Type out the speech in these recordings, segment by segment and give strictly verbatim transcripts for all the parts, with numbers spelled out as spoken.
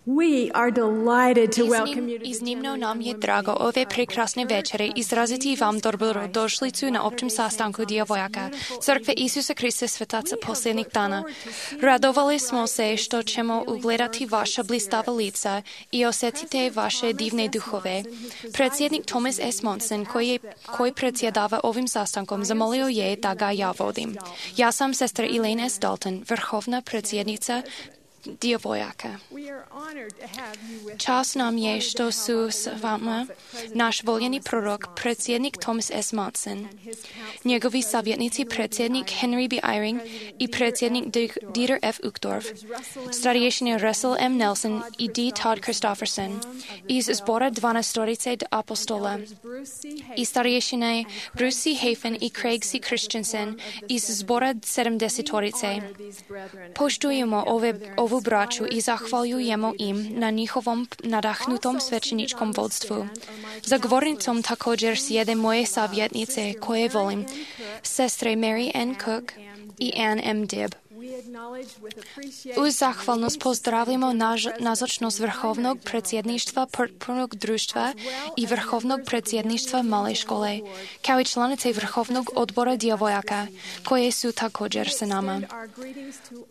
We are delighted to welcome you to Iznimno nam je drago ove prekrasne večere izraziti vam dobrodošlicu na općem sastanku djevojaka Crkve Isusa Krista Svetaca posljednjih dana. Radovali smo se što ćemo ugledati vaša blistava lica i osjetiti vaše divne duhove. Predsjednik Thomas S. Monson, koji, je, koji predsjedava ovim sastankom, zamolio je da ga ja vodim. Ja sam sestra Elaine S. Dalton, vrhovna predsjednica djevojaka. Čast nam je što su s vama naš voljeni prorok, predsjednik Thomas S. Monson, njegovi savjetnici predsjednik Henry B. Eyring i predsjednik Dieter F. Uchtdorf, starješine Russell M. Nelson i D. Todd Christofferson, iz zbora dvanastorice apostola, i starješine Bruce C. Hafen i Craig C. Christensen iz zbora sedamdesetorice. Poštujemo ove, ovu braću i zahvaljujemo im na njihovom nadahnutom svećeničkom vodstvu. Za govornicom također sjede moje savjetnice koje volim, sestre Mary N. Cook i Ann M. Dibb. Uz zahvalnost pozdravljamo nazočnost Vrhovnog predsjedništva Potpornog društva i Vrhovnog predsjedništva Male škole, kao i članice Vrhovnog odbora djevojaka, koje su također sa nama.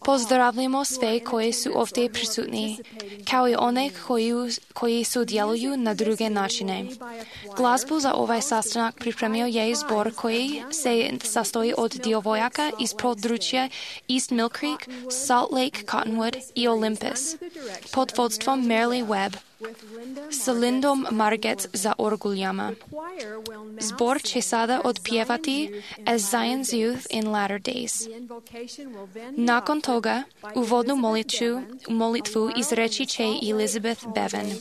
Pozdravljamo sve koje su ovdje prisutni, kao i one koji, koji sudjeluju na druge načine. Glazbu za ovaj sastanak pripremio je zbor koji se sastoji od djevojaka iz područja East Mill Creek, Salt Lake, Cottonwood i Olympus, pod vodstvom Merle Webb, s Lindom Margetts za orguljama. Zbor će sada odpjevati As Zion's Youth in Latter Days. Nakon toga, uvodnu molitvu, molitvu izreći će Elizabeth Bevan.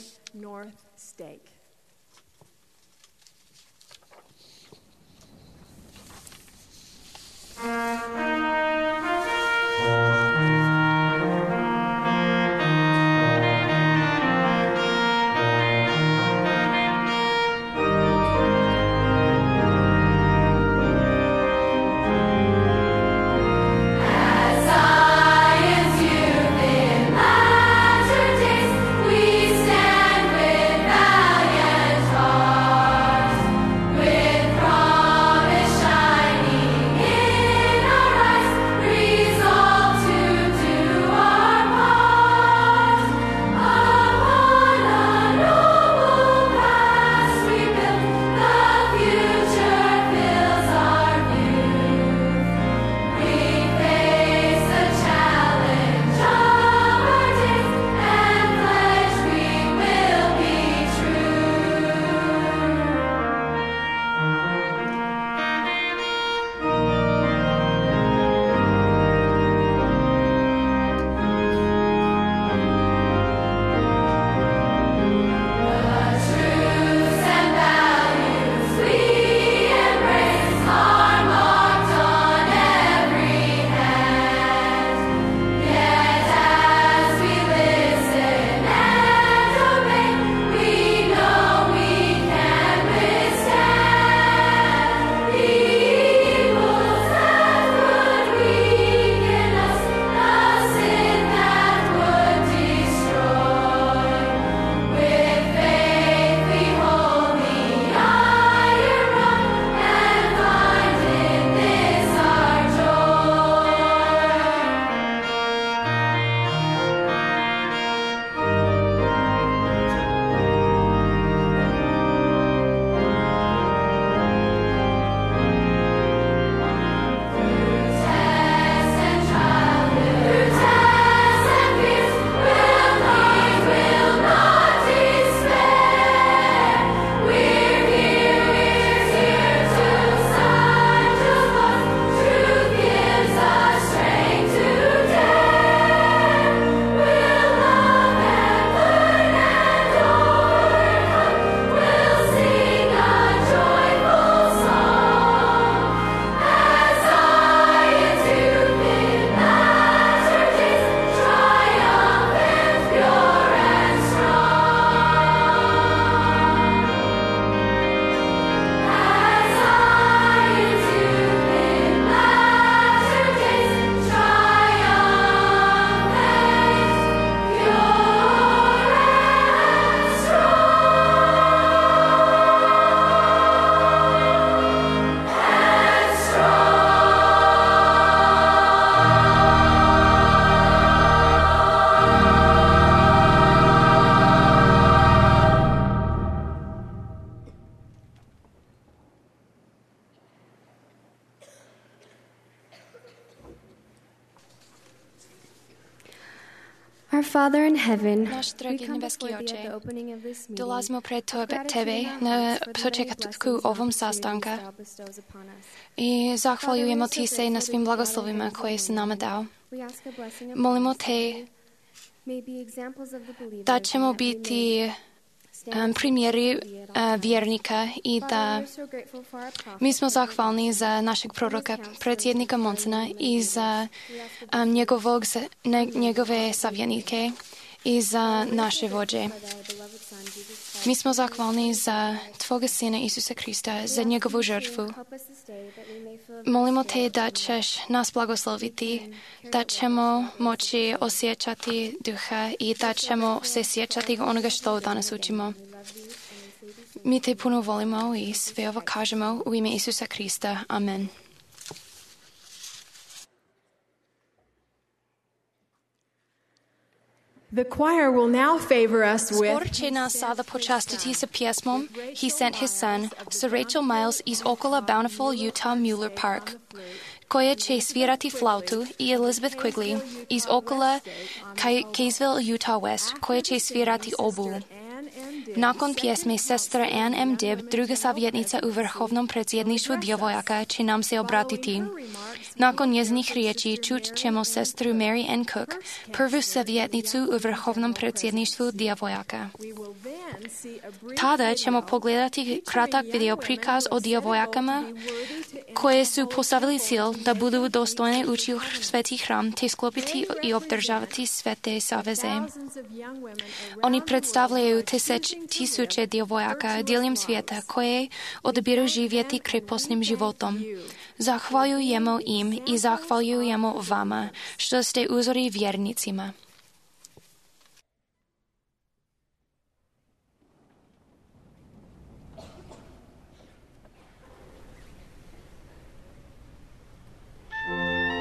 With promise shining in our Father in heaven, Náš drahý nebeský before thee Oče, at the opening of this meeting, dolazimo pred with Tebe, gratitude Tebe in our na hearts for the many počekatku blessings and ovom opportunities sastanka thou bestowest upon us. i zahvaljujemo Ti se na so svim grateful blagoslovima that we koje si nama dao. We ask a blessing upon Molimo us, Te that we may be examples of the believers, da and ćemo that we may biti stand um, as primjeri witnesses to thee at all uh, times. vjernika i Father, da we are so grateful for our prophet, mi smo President zahvalni za našeg proroka, predsjednika Monsona i za um, njegovog, ne, njegove savjenike i za naše vođe. Mi smo zahvalni za Tvoga Sina Isusa Krista, za njegovu žrtvu. Molimo Te da ćeš nas blagosloviti, da ćemo moći osjećati duha i da ćemo se sjećati onoga što danas učimo. Mi Te puno volimo i sve ovo kažemo u ime Isusa Krista. Amen. The choir will now favor us with Zbor će nas sada počastiti sa pjesmom He Sent His Son sa Rachel Miles iz okolo Bountiful, Utah Mueller Park, koja će svirati flautu, i Elizabeth Quigley iz okolo Kaysville, Utah West, koja će svirati obu. Nakon pjesme sestra Ann M. Dibb, druga savjetnica u Vrhovnom predsjedništvu djevojaka, će nam se obratiti. Nakon njezinih riječi čut ćemo sestru Mary Ann Cook, prvu savjetnicu u Vrhovnom predsjedništvu djevojaka. Tada ćemo pogledati kratak video prikaz o djevojakama koje su postavili cilj da budu dostojne ući u sveti hram te sklopiti i obdržavati svete saveze. Oni predstavljaju tisíc, tisuće djevojaka diljem svijeta koje odabiru živjeti krepostnim životom. Zahvaljujemo im i zahvaljujemo vama, što ste uzori vjernicima. Thank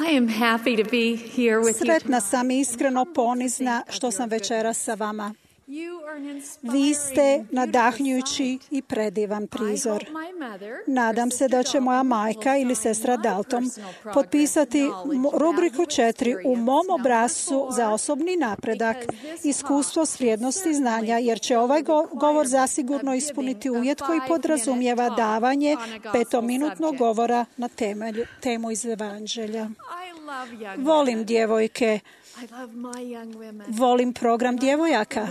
I am happy to be here with you Sretna tonight. sam i iskreno ponizna što sam večeras sa vama. Vi ste nadahnjujući i predivan prizor. Nadam se da će moja majka ili sestra Dalton potpisati rubriku četiri u mom obrascu za osobni napredak, iskustvo s vrijednosti znanja, jer će ovaj govor zasigurno ispuniti uvjet koji podrazumijeva davanje petominutnog govora na temelju, temu iz Evanđelja. Volim djevojke. Volim program djevojaka.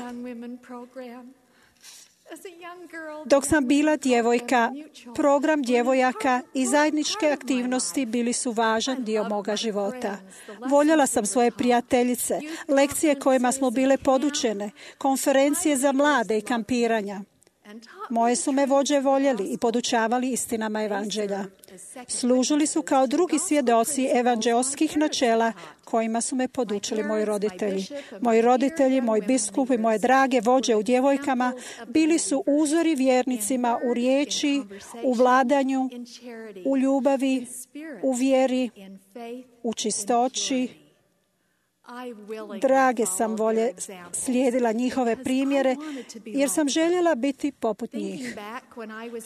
Dok sam bila djevojka, program djevojaka i zajedničke aktivnosti bili su važan dio moga života. Voljela sam svoje prijateljice, lekcije kojima smo bile podučene, konferencije za mlade i kampiranja. Moje su me vođe voljeli i podučavali istinama Evanđelja. Služili su kao drugi svjedoci evanđeoskih načela kojima su me podučili moji roditelji. Moji roditelji, moj biskup i moje drage vođe u djevojkama bili su uzori vjernicima u riječi, u vladanju, u ljubavi, u vjeri, u čistoći. Drage sam volje slijedila njihove primjere jer sam željela biti poput njih.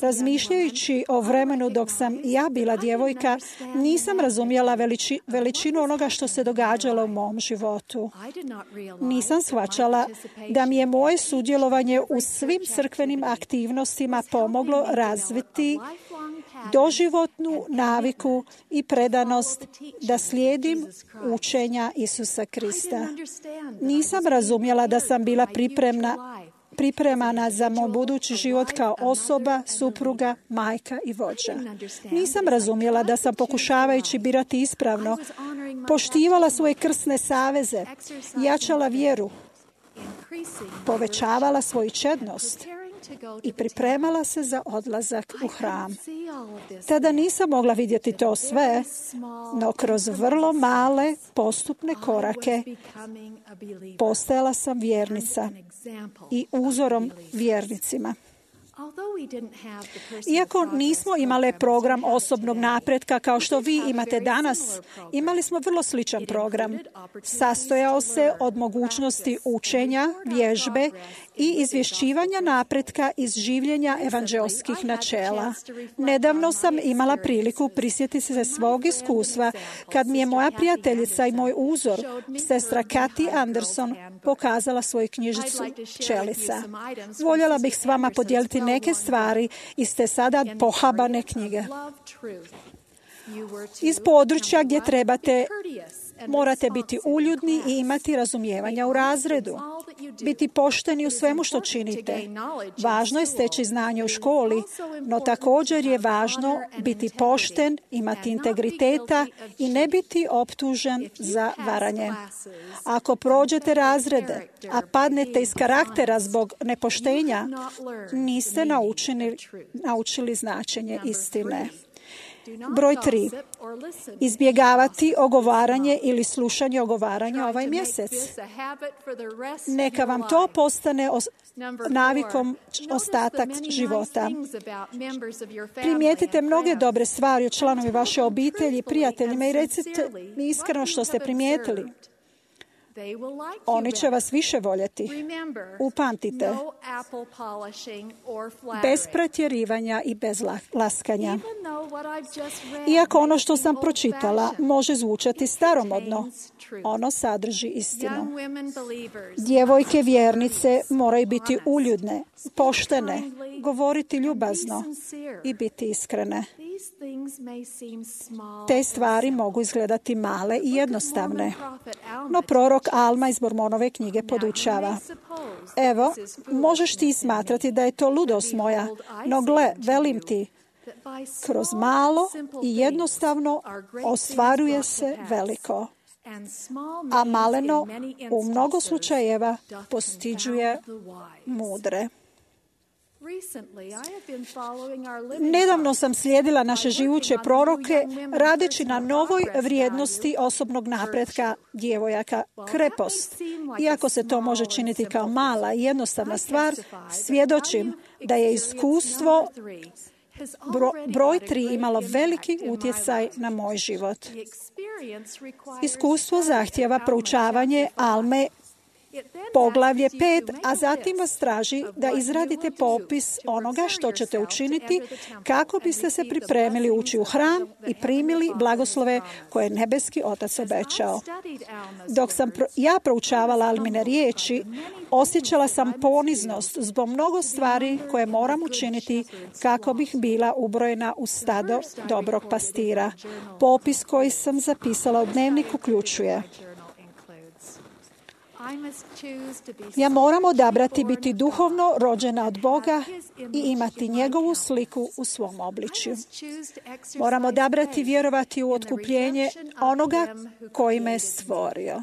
Razmišljajući o vremenu dok sam ja bila djevojka, nisam razumjela veliči, veličinu onoga što se događalo u mom životu. Nisam shvaćala da mi je moje sudjelovanje u svim crkvenim aktivnostima pomoglo razviti doživotnu naviku i predanost da slijedim učenja Isusa Krista. Nisam razumjela da sam bila pripremna, pripremana za moj budući život kao osoba, supruga, majka i vođa. Nisam razumjela da sam, pokušavajući birati ispravno, poštivala svoje krsne saveze, jačala vjeru, povećavala svoju čednost i pripremala se za odlazak u hram. Tada nisam mogla vidjeti to sve, no kroz vrlo male postupne korake postajala sam vjernica i uzorom vjernicima. Iako nismo imali program osobnog napretka kao što vi imate danas, imali smo vrlo sličan program. Sastojao se od mogućnosti učenja, vježbe i izvješćivanja napretka iz življenja evanđeoskih načela. Nedavno sam imala priliku prisjetiti se svog iskustva kad mi je moja prijateljica i moj uzor, sestra Kathy Anderson, pokazala svoju knjižicu Pčelica. Voljela bih s vama podijeliti neke stvari iz te sada pohabane knjige. Iz područja gdje trebate, morate biti uljudni i imati razumijevanja u razredu. Biti pošteni u svemu što činite. Važno je steći znanje u školi, no također je važno biti pošten, imati integriteta i ne biti optužen za varanje. Ako prođete razrede, a padnete iz karaktera zbog nepoštenja, niste naučili, naučili značenje istine. Broj tri. Izbjegavati ogovaranje ili slušanje ogovaranja ovaj mjesec. Neka vam to postane os- navikom ostatak života. Primijetite mnoge dobre stvari o članovi vaše obitelji, prijateljima i recite mi iskreno što ste primijetili. Oni će vas više voljeti. Upamtite, bez pretjerivanja i bez laskanja. Iako ono što sam pročitala može zvučati staromodno, ono sadrži istinu. Djevojke vjernice moraju biti uljudne, poštene, govoriti ljubazno i biti iskrene. Te stvari mogu izgledati male i jednostavne, no prorok Alma iz Mormonove knjige podučava. Evo, možeš ti smatrati da je to ludost moja, no gle, velim ti, kroz malo i jednostavno ostvaruje se veliko, a maleno u mnogo slučajeva postiđuje mudre. Nedavno sam slijedila naše živuće proroke radeći na novoj vrijednosti osobnog napretka djevojaka, krepost. Iako se to može činiti kao mala i jednostavna stvar, svjedočim da je iskustvo bro, broj tri imalo veliki utjecaj na moj život. Iskustvo zahtjeva proučavanje Alme poglavlje pet, a zatim vas traži da izradite popis onoga što ćete učiniti kako biste se pripremili ući u hram i primili blagoslove koje je nebeski Otac obećao. Dok sam pro, ja proučavala Almine riječi, osjećala sam poniznost zbog mnogo stvari koje moram učiniti kako bih bila ubrojena u stado dobrog pastira. Popis koji sam zapisala u dnevnik uključuje: ja moram odabrati biti duhovno rođena od Boga i imati njegovu sliku u svom obličju. Moram odabrati vjerovati u otkupljenje onoga koji me je stvorio.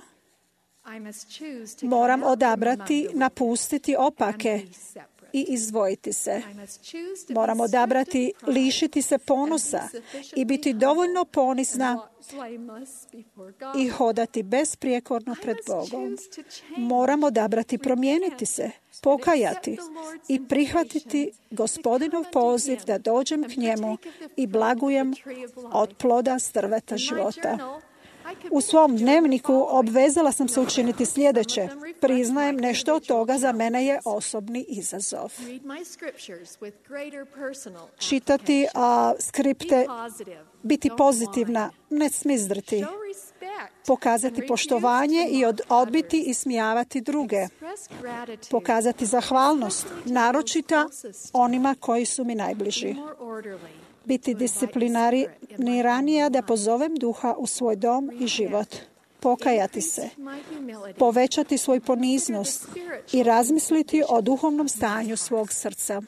Moram odabrati napustiti opake i izdvojiti se. Moram odabrati lišiti se ponosa i biti dovoljno ponizna i hodati besprijekorno pred Bogom. Moram odabrati promijeniti se, pokajati i prihvatiti Gospodinov poziv da dođem k njemu i blagujem od ploda s drveta života. U svom dnevniku obvezala sam se učiniti sljedeće. Priznajem, nešto od toga za mene je osobni izazov. Čitati a, skripte, biti pozitivna, ne smizdriti, pokazati poštovanje i od, odbiti i smijavati druge, pokazati zahvalnost, naročito onima koji su mi najbliži. Biti discipliniranija da pozovem duha u svoj dom i život. Pokajati se. Povećati svoj poniznost i razmisliti o duhovnom stanju svog srca.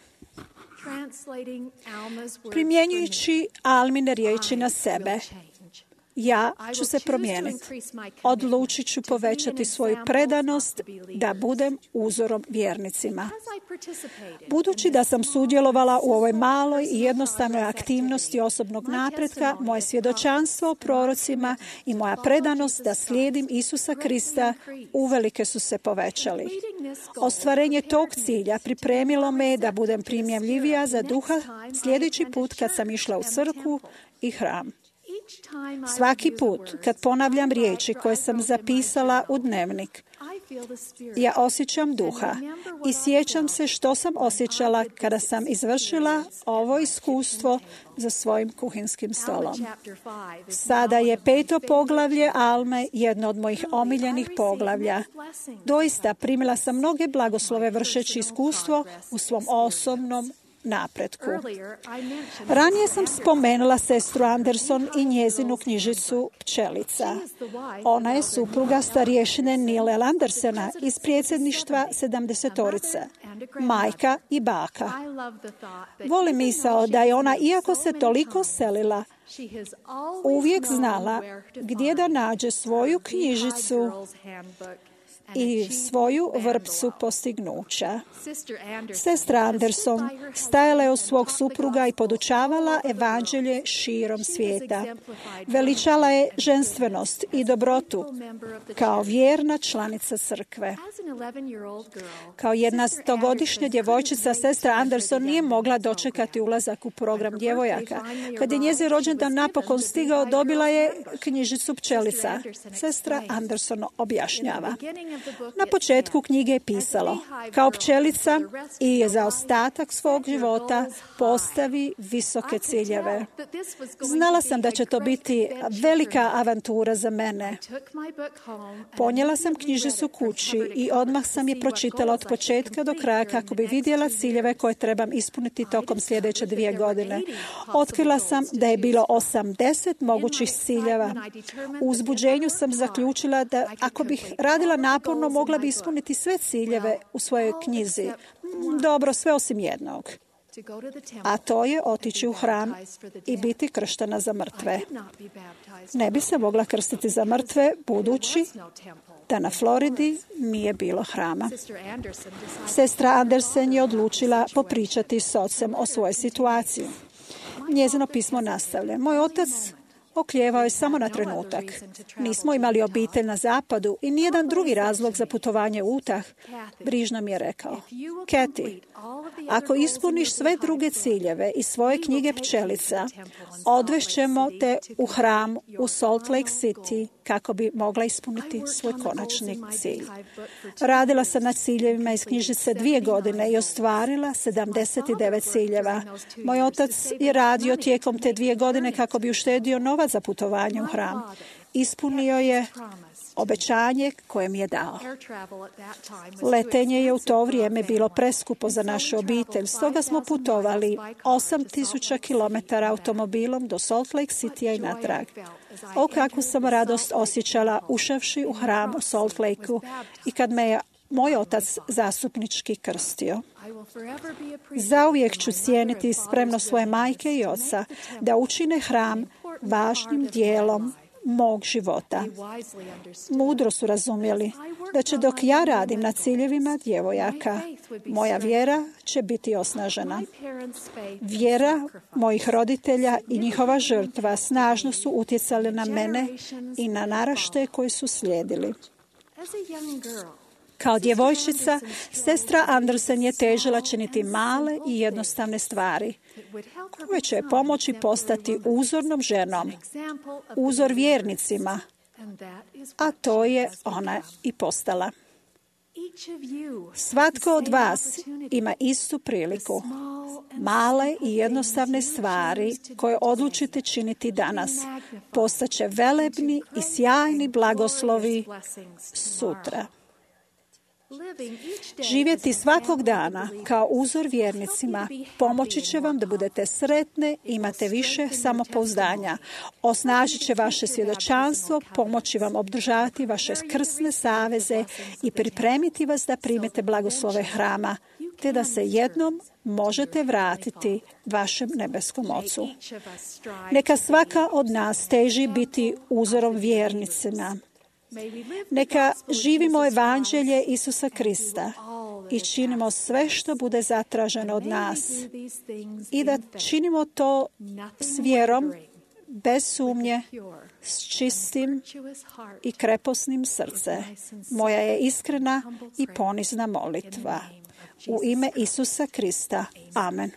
Primjenjujući Almine riječi na sebe, ja ću se promijeniti. Odlučit ću povećati svoju predanost da budem uzorom vjernicima. Budući da sam sudjelovala u ovoj maloj i jednostavnoj aktivnosti osobnog napretka, moje svjedočanstvo o prorocima i moja predanost da slijedim Isusa Krista uvelike su se povećali. Ostvarenje tog cilja pripremilo me da budem primjemljivija za duha sljedeći put kad sam išla u crkvu i hram. Svaki put kad ponavljam riječi koje sam zapisala u dnevnik, ja osjećam duha i sjećam se što sam osjećala kada sam izvršila ovo iskustvo za svojim kuhinskim stolom. Sada je peto poglavlje Alme jedno od mojih omiljenih poglavlja. Doista primila sam mnoge blagoslove vršeći iskustvo u svom osobnom napretku. Ranije sam spomenula sestru Anderson i njezinu knjižicu Pčelica. Ona je supruga starješine Nile Andersena iz predsjedništva sedamdesetorice, majka i baka. Volim misao da je ona, iako se toliko selila, uvijek znala gdje da nađe svoju knjižicu i svoju vrpcu postignuća. Sestra Anderson stajala je uz svog supruga i podučavala evanđelje širom svijeta. Veličala je ženstvenost i dobrotu kao vjerna članica crkve. Kao jednaestogodišnja djevojčica, sestra Anderson nije mogla dočekati ulazak u program djevojaka. Kad je njezin rođendan napokon stigao, dobila je knjižicu Pčelica. Sestra Anderson objašnjava: na početku knjige je pisalo: kao pčelica i za ostatak svog života postavi visoke ciljeve. Znala sam da će to biti velika avantura za mene. Ponijela sam knjižicu kući i odmah sam je pročitala od početka do kraja kako bi vidjela ciljeve koje trebam ispuniti tokom sljedeće dvije godine. Otkrila sam da je bilo osamdeset mogućih ciljeva. U uzbuđenju sam zaključila da ako bih radila naporno, mogla bi ispuniti sve ciljeve u svojoj knjizi. Dobro, sve osim jednog. A to je otići u hram i biti krštena za mrtve. Ne bi se mogla krstiti za mrtve, budući da na Floridi nije bilo hrama. Sestra Andersen je odlučila popričati s ocem o svojoj situaciji. Njezino pismo nastavlja: moj otac Oklijevao je samo na trenutak. Nismo imali obitelj na zapadu i nijedan drugi razlog za putovanje u utah. Brižno mi je rekao: Kathy, ako ispuniš sve druge ciljeve i svoje knjige pčelica, odvešćemo te u hram u Salt Lake City kako bi mogla ispuniti svoj konačni cilj. Radila sam na ciljevima iz knjižice dvije godine i ostvarila sedamdeset devet ciljeva. Moj otac je radio tijekom te dvije godine kako bi uštedio novac za putovanje u hram. Ispunio je obećanje koje mi je dao. Letenje je u to vrijeme bilo preskupo za našu obitelj, stoga smo putovali osam tisuća kilometara automobilom do Salt Lake Citya i natrag. O, kakvu sam radost osjećala ušavši u hram u Salt Lakeu i kad me je moj otac zastupnički krstio. Zauvijek ću cijeniti spremnost svoje majke i oca da učine hram važnim dijelom mog života. Mudro su razumjeli da će dok ja radim na ciljevima djevojaka, moja vjera će biti osnažena. Vjera mojih roditelja i njihova žrtva snažno su utjecali na mene i na naraštaje koji su slijedili. Kao djevojčica, sestra Andersen je težila činiti male i jednostavne stvari koje će pomoći postati uzornom ženom, uzor vjernicima, a to je ona i postala. Svatko od vas ima istu priliku. Male i jednostavne stvari koje odlučite činiti danas postaće velebni i sjajni blagoslovi sutra. Živjeti svakog dana kao uzor vjernicima pomoći će vam da budete sretne, imate više samopouzdanja, osnažit će vaše svjedočanstvo, pomoći vam obdržavati vaše krsne saveze i pripremiti vas da primite blagoslove hrama, te da se jednom možete vratiti vašem nebeskom Ocu. Neka svaka od nas teži biti uzorom vjernicima. Neka živimo evanđelje Isusa Krista i činimo sve što bude zatraženo od nas i da činimo to s vjerom, bez sumnje, s čistim i kreposnim srce. Moja je iskrena i ponizna molitva. U ime Isusa Krista. Amen.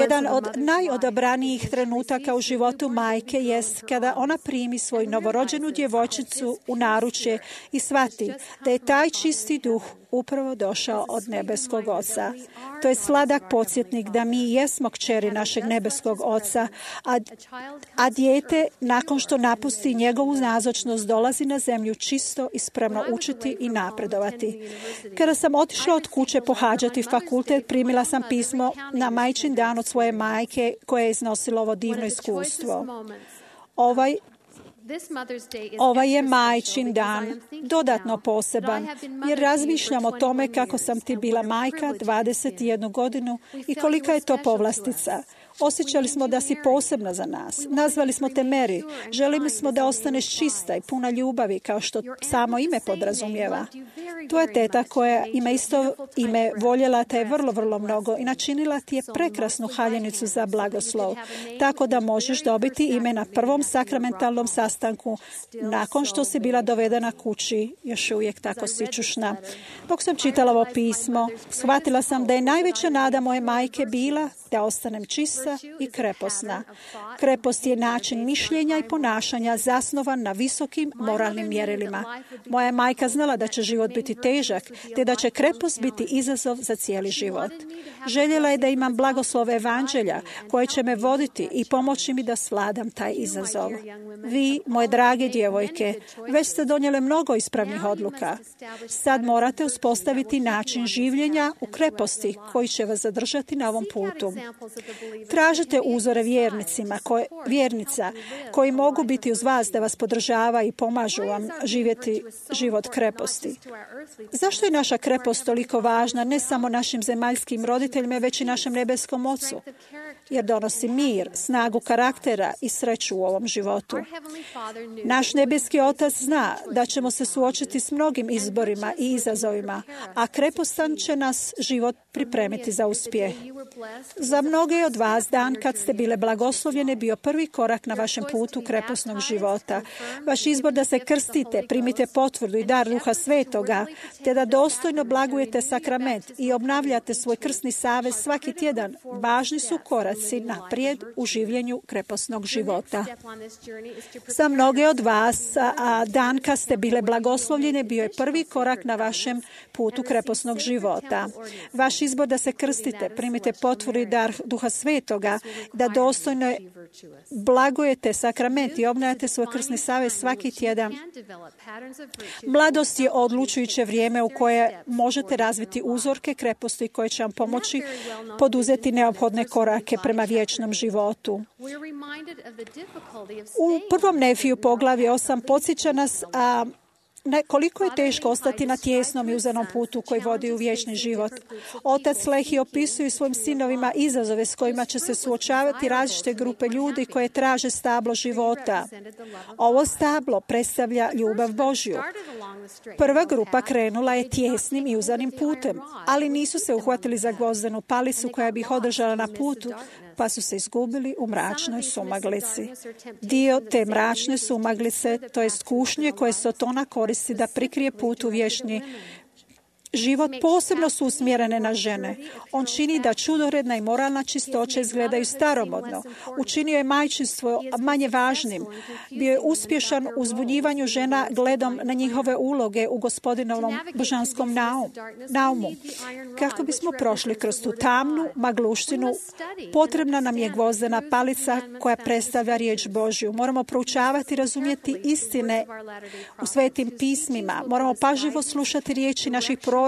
Jedan od najodabranijih trenutaka u životu majke jest kada ona primi svoju novorođenu djevojčicu u naručje i shvati da je taj čisti duh upravo došao od nebeskog Oca. To je sladak podsjetnik da mi jesmo kćeri našeg nebeskog Oca, a, a dijete nakon što napusti njegovu nazočnost dolazi na zemlju čisto i spremno učiti i napredovati. Kada sam otišla od kuće pohađati fakultet, primila sam pismo na majčin dan od svoje majke koja je iznosila ovo divno iskustvo. Ovaj Ovaj je majčin dan dodatno poseban, jer razmišljam o tome kako sam ti bila majka dvadeset jednu godinu i kolika je to povlastica. Osjećali smo da si posebna za nas. Nazvali smo te Mary. Želimo smo da ostaneš čista i puna ljubavi, kao što samo ime podrazumijeva. Tvoja teta koja ima isto ime voljela te je vrlo, vrlo mnogo i načinila ti je prekrasnu haljenicu za blagoslov, tako da možeš dobiti ime na prvom sakramentalnom sastanku nakon što si bila dovedena kući, još uvijek tako sićušna. Dok sam čitala ovo pismo, shvatila sam da je najveća nada moje majke bila da ostanem čista i kreposna. Krepost je način mišljenja i ponašanja zasnovan na visokim moralnim mjerilima. Moja majka znala da će život biti težak, te da će krepost biti izazov za cijeli život. Željela je da imam blagoslov evanđelja koje će me voditi i pomoći mi da svladam taj izazov. Vi, moje drage djevojke, već ste donijele mnogo ispravnih odluka. Sad morate uspostaviti način življenja u kreposti koji će vas zadržati na ovom putu. Tražite uzore vjernicima, koje, vjernica koji mogu biti uz vas da vas podržava i pomažu vam živjeti život kreposti. Zašto je naša krepost toliko važna, ne samo našim zemaljskim roditeljima, već i našem nebeskom Ocu? Jer donosi mir, snagu karaktera i sreću u ovom životu. Naš nebeski Otac zna da ćemo se suočiti s mnogim izborima i izazovima, a krepostan će nas život pripremiti za uspjeh. Za mnoge od vas dan kad ste bile blagoslovljene bio prvi korak na vašem putu kreposnog života. Vaš izbor da se krstite, primite potvrdu i dar Duha Svetoga, te da dostojno blagujete sakrament i obnavljate svoj krstni savez svaki tjedan, važni su koraci naprijed u življenju kreposnog života. Za mnoge od vas, a dan kad ste bile blagoslovljene bio je prvi korak na vašem putu kreposnog života. Vaš izbor da se krstite, primite potvrdu i dar Duha Svetoga, da dostojno blagujete sakrament i obnavljate svoj krstni savez svaki tjedan. Mladost je odlučujuće vrijeme u koje možete razviti uzorke kreposti koje će vam pomoći poduzeti neophodne korake prema vječnom životu. U prvom Nefiju poglavlje osam podsjeća nas a Ne, koliko je teško ostati na tijesnom i uzanom putu koji vodi u vječni život. Otac Lehi opisuje svojim sinovima izazove s kojima će se suočavati različite grupe ljudi koje traže stablo života. Ovo stablo predstavlja ljubav Božju. Prva grupa krenula je tijesnim i uzanim putem, ali nisu se uhvatili za gvozdenu palicu koja bi ih održala na putu, pa su se izgubili u mračnoj sumaglici. Dio te mračne sumaglice, to jest kušnje koje Sotona koristi da prikrije put u vječni život, posebno su usmjerene na žene. On čini da čudoredna i moralna čistoća izgledaju staromodno. Učinio je majčinstvo manje važnim. Bio je uspješan u uzbunjivanju žena gledom na njihove uloge u Gospodinovom božanskom naumu. Kako bismo prošli kroz tu tamnu magluštinu, potrebna nam je gvozdena palica koja predstavlja riječ Božju. Moramo proučavati i razumjeti istine u svetim pismima. Moramo pažljivo slušati riječi naših proroka,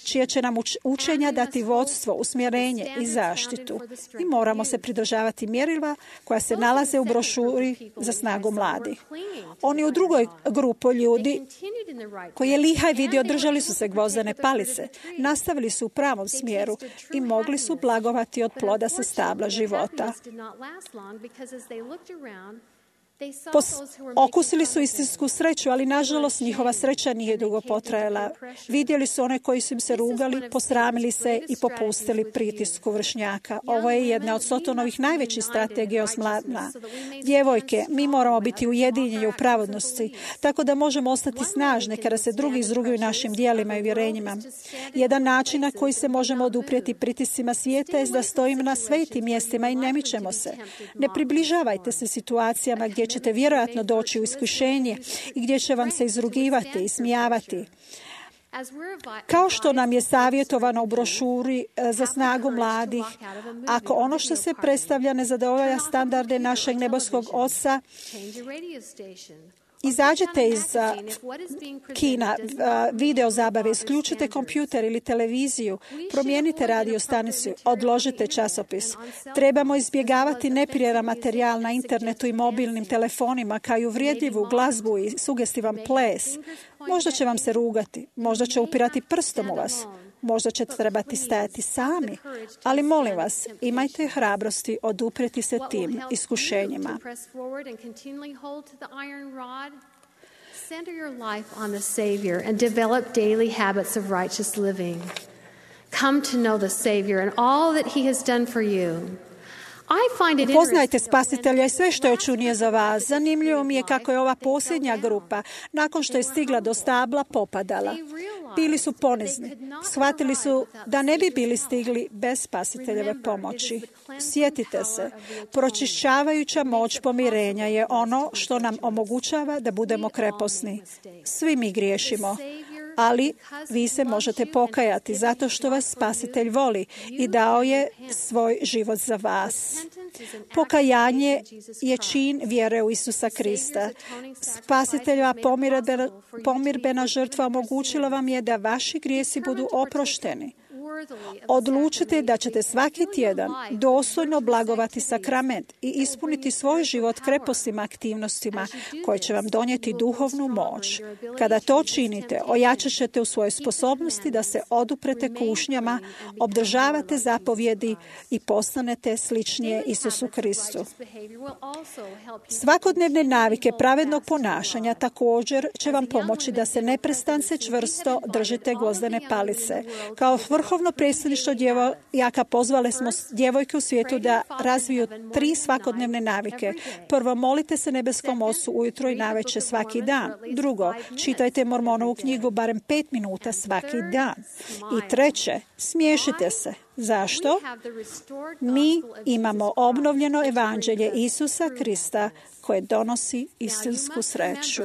čije će nam učenja dati vodstvo, usmjerenje i zaštitu. I moramo se pridržavati mjerila koja se nalaze u brošuri za snagu mladih. Oni u drugoj grupu ljudi koji je Lihaj vidio držali su se gvozdene palice, nastavili su u pravom smjeru i mogli su blagovati od ploda sa stabla života. Pos- okusili su istinsku sreću, ali nažalost njihova sreća nije dugo potrajala. Vidjeli su one koji su im se rugali, posramili se i popustili pritisku vršnjaka. Ovo je jedna od Sotonovih najvećih strategija osmladna. Djevojke, mi moramo biti ujedinjeni u pravodnosti, tako da možemo ostati snažne kada se drugi izruguju našim djelima i vjerenjima. Jedan način na koji se možemo oduprijeti pritiscima svijeta je da stojimo na svetim mjestima i ne mičemo se. Ne približavajte se situacijama gdje ćete vjerojatno doći u iskušenje i gdje će vam se izrugivati i smijavati. Kao što nam je savjetovano u brošuri za snagu mladih, ako ono što se predstavlja ne zadovoljava standarde našeg nebeskog Oca, izađete iz kina, video zabave, isključite kompjuter ili televiziju, promijenite radio stanicu, odložite časopis. Trebamo izbjegavati neprimjeran materijal na internetu i mobilnim telefonima, kao i uvrijedljivu glazbu i sugestivan ples. Možda će vam se rugati, možda će upirati prstom u vas. Možda ćete trebati stajati sami, ali molim vas, imajte hrabrosti oduprijeti se tim iskušenjima. Center your life on the Savior and develop daily habits of righteous living. Come to know the Savior and all that He has done for you. Poznajte Spasitelja i sve što je učinio za vas. Zanimljivo mi je kako je ova posljednja grupa, nakon što je stigla do stabla, popadala. Bili su ponizni. Shvatili su da ne bi bili stigli bez Spasiteljeve pomoći. Sjetite se, pročišćavajuća moć pomirenja je ono što nam omogućava da budemo kreposni. Svi mi griješimo, ali vi se možete pokajati zato što vas Spasitelj voli i dao je svoj život za vas. Pokajanje je čin vjere u Isusa Krista. Spasiteljeva pomirbena, pomirbena žrtva omogućila vam je da vaši grijesi budu oprošteni. Odlučite da ćete svaki tjedan dostojno blagovati sakrament i ispuniti svoj život krepostima aktivnostima koje će vam donijeti duhovnu moć. Kada to činite, ojačat ćete u svojoj sposobnosti da se oduprete kušnjama, obdržavate zapovjedi i postanete sličnije Isusu Kristu. Svakodnevne navike pravednog ponašanja također će vam pomoći da se neprestance čvrsto držite gvozdene palice. Kao vrhovno predstavništvo djevojaka pozvali smo djevojke u svijetu da razviju tri svakodnevne navike. Prvo, molite se nebeskom Ocu ujutro i navečer svaki dan. Drugo, čitajte Mormonovu knjigu barem pet minuta svaki dan. I treće, smiješite se. Zašto? Mi imamo obnovljeno evanđelje Isusa Krista koje donosi istinsku sreću.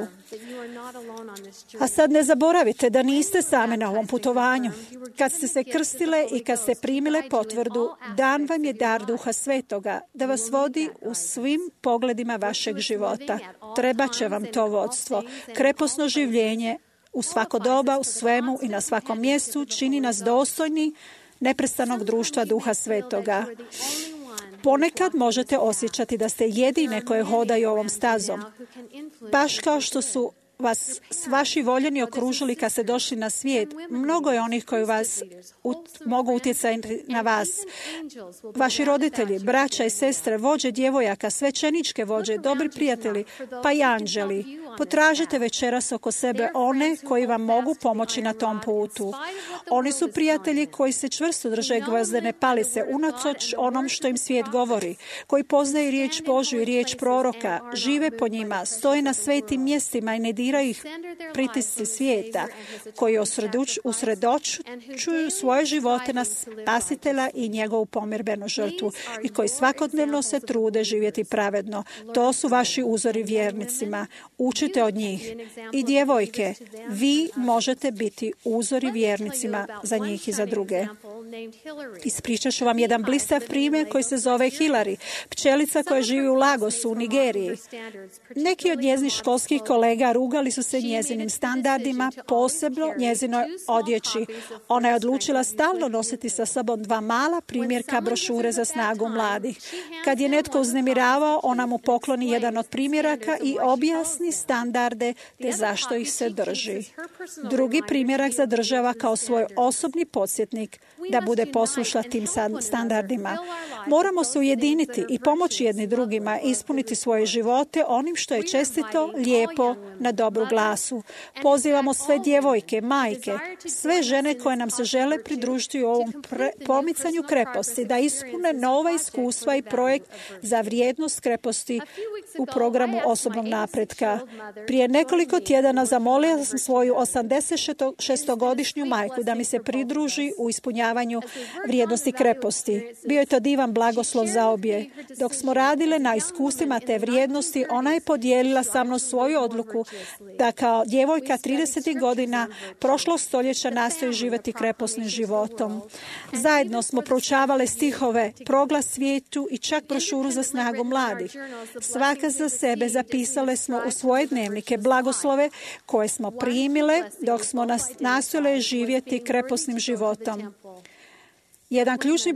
A sad ne zaboravite da niste same na ovom putovanju. Kad ste se krstile i kad ste primile potvrdu, dan vam je dar Duha Svetoga da vas vodi u svim pogledima vašeg života. Treba će vam to vodstvo. Kreposno življenje u svako doba, u svemu i na svakom mjestu čini nas dostojni neprestanog društva Duha Svetoga. Ponekad možete osjećati da ste jedine koje hodaju ovom stazom, baš kao što su vas vaši voljeni okružili kad ste došli na svijet. Mnogo je onih koji vas ut, mogu utjecati na vas. Vaši roditelji, braća i sestre, vođe djevojaka, svećeničke vođe, dobri prijatelji, pa i anđeli. Potražite večeras oko sebe one koji vam mogu pomoći na tom putu. Oni su prijatelji koji se čvrsto drže gvozdene palice unatoč onom što im svijet govori, koji poznaju riječ Božju i riječ proroka, žive po njima, stoje na svetim mjestima i ne diraju ih pritisci svijeta, koji usredočuju svoje živote na Spasitelja i njegovu pomirbenu žrtvu i koji svakodnevno se trude živjeti pravedno. To su vaši uzori vjernicima. Učite od njih. I djevojke, vi možete biti uzori vjernicima za njih i za druge. Ispričat ću vam jedan blistav primjer koji se zove Hillary, pčelica koja živi u Lagosu u Nigeriji. Neki od njezinih školskih kolega rugali su se njezinim standardima, posebno njezinoj odjeći. Ona je odlučila stalno nositi sa sobom dva mala primjerka brošure za snagu mladih. Kad je netko uznemiravao, ona mu pokloni jedan od primjeraka i objasni standarde te zašto ih se drži. Drugi primjerak zadržava kao svoj osobni podsjetnik da bude poslušna tim standardima. Moramo se ujediniti i pomoći jedni drugima ispuniti svoje živote onim što je čestito, lijepo, na dobru glasu. Pozivamo sve djevojke, majke, sve žene koje nam se žele pridružiti u ovom pre- pomicanju kreposti, da ispune nova iskustva i projekt za vrijednost kreposti u programu osobnog napretka. Prije nekoliko tjedana zamolila sam svoju osamdeset šestogodišnju majku da mi se pridruži u ispunjavanju vrijednosti kreposti. Bio je to divan blagoslov za obje. Dok smo radile na iskustvima te vrijednosti, ona je podijelila sa mnom svoju odluku da kao djevojka tridesetih godina prošlog stoljeća nastoji živjeti kreposnim životom. Zajedno smo proučavale stihove, proglas svijetu i čak brošuru za snagu mladih. Svaka za sebe zapisale smo u svoje dnevnike blagoslove koje smo primile dok smo nastojale živjeti kreposnim životom. Jedan ključni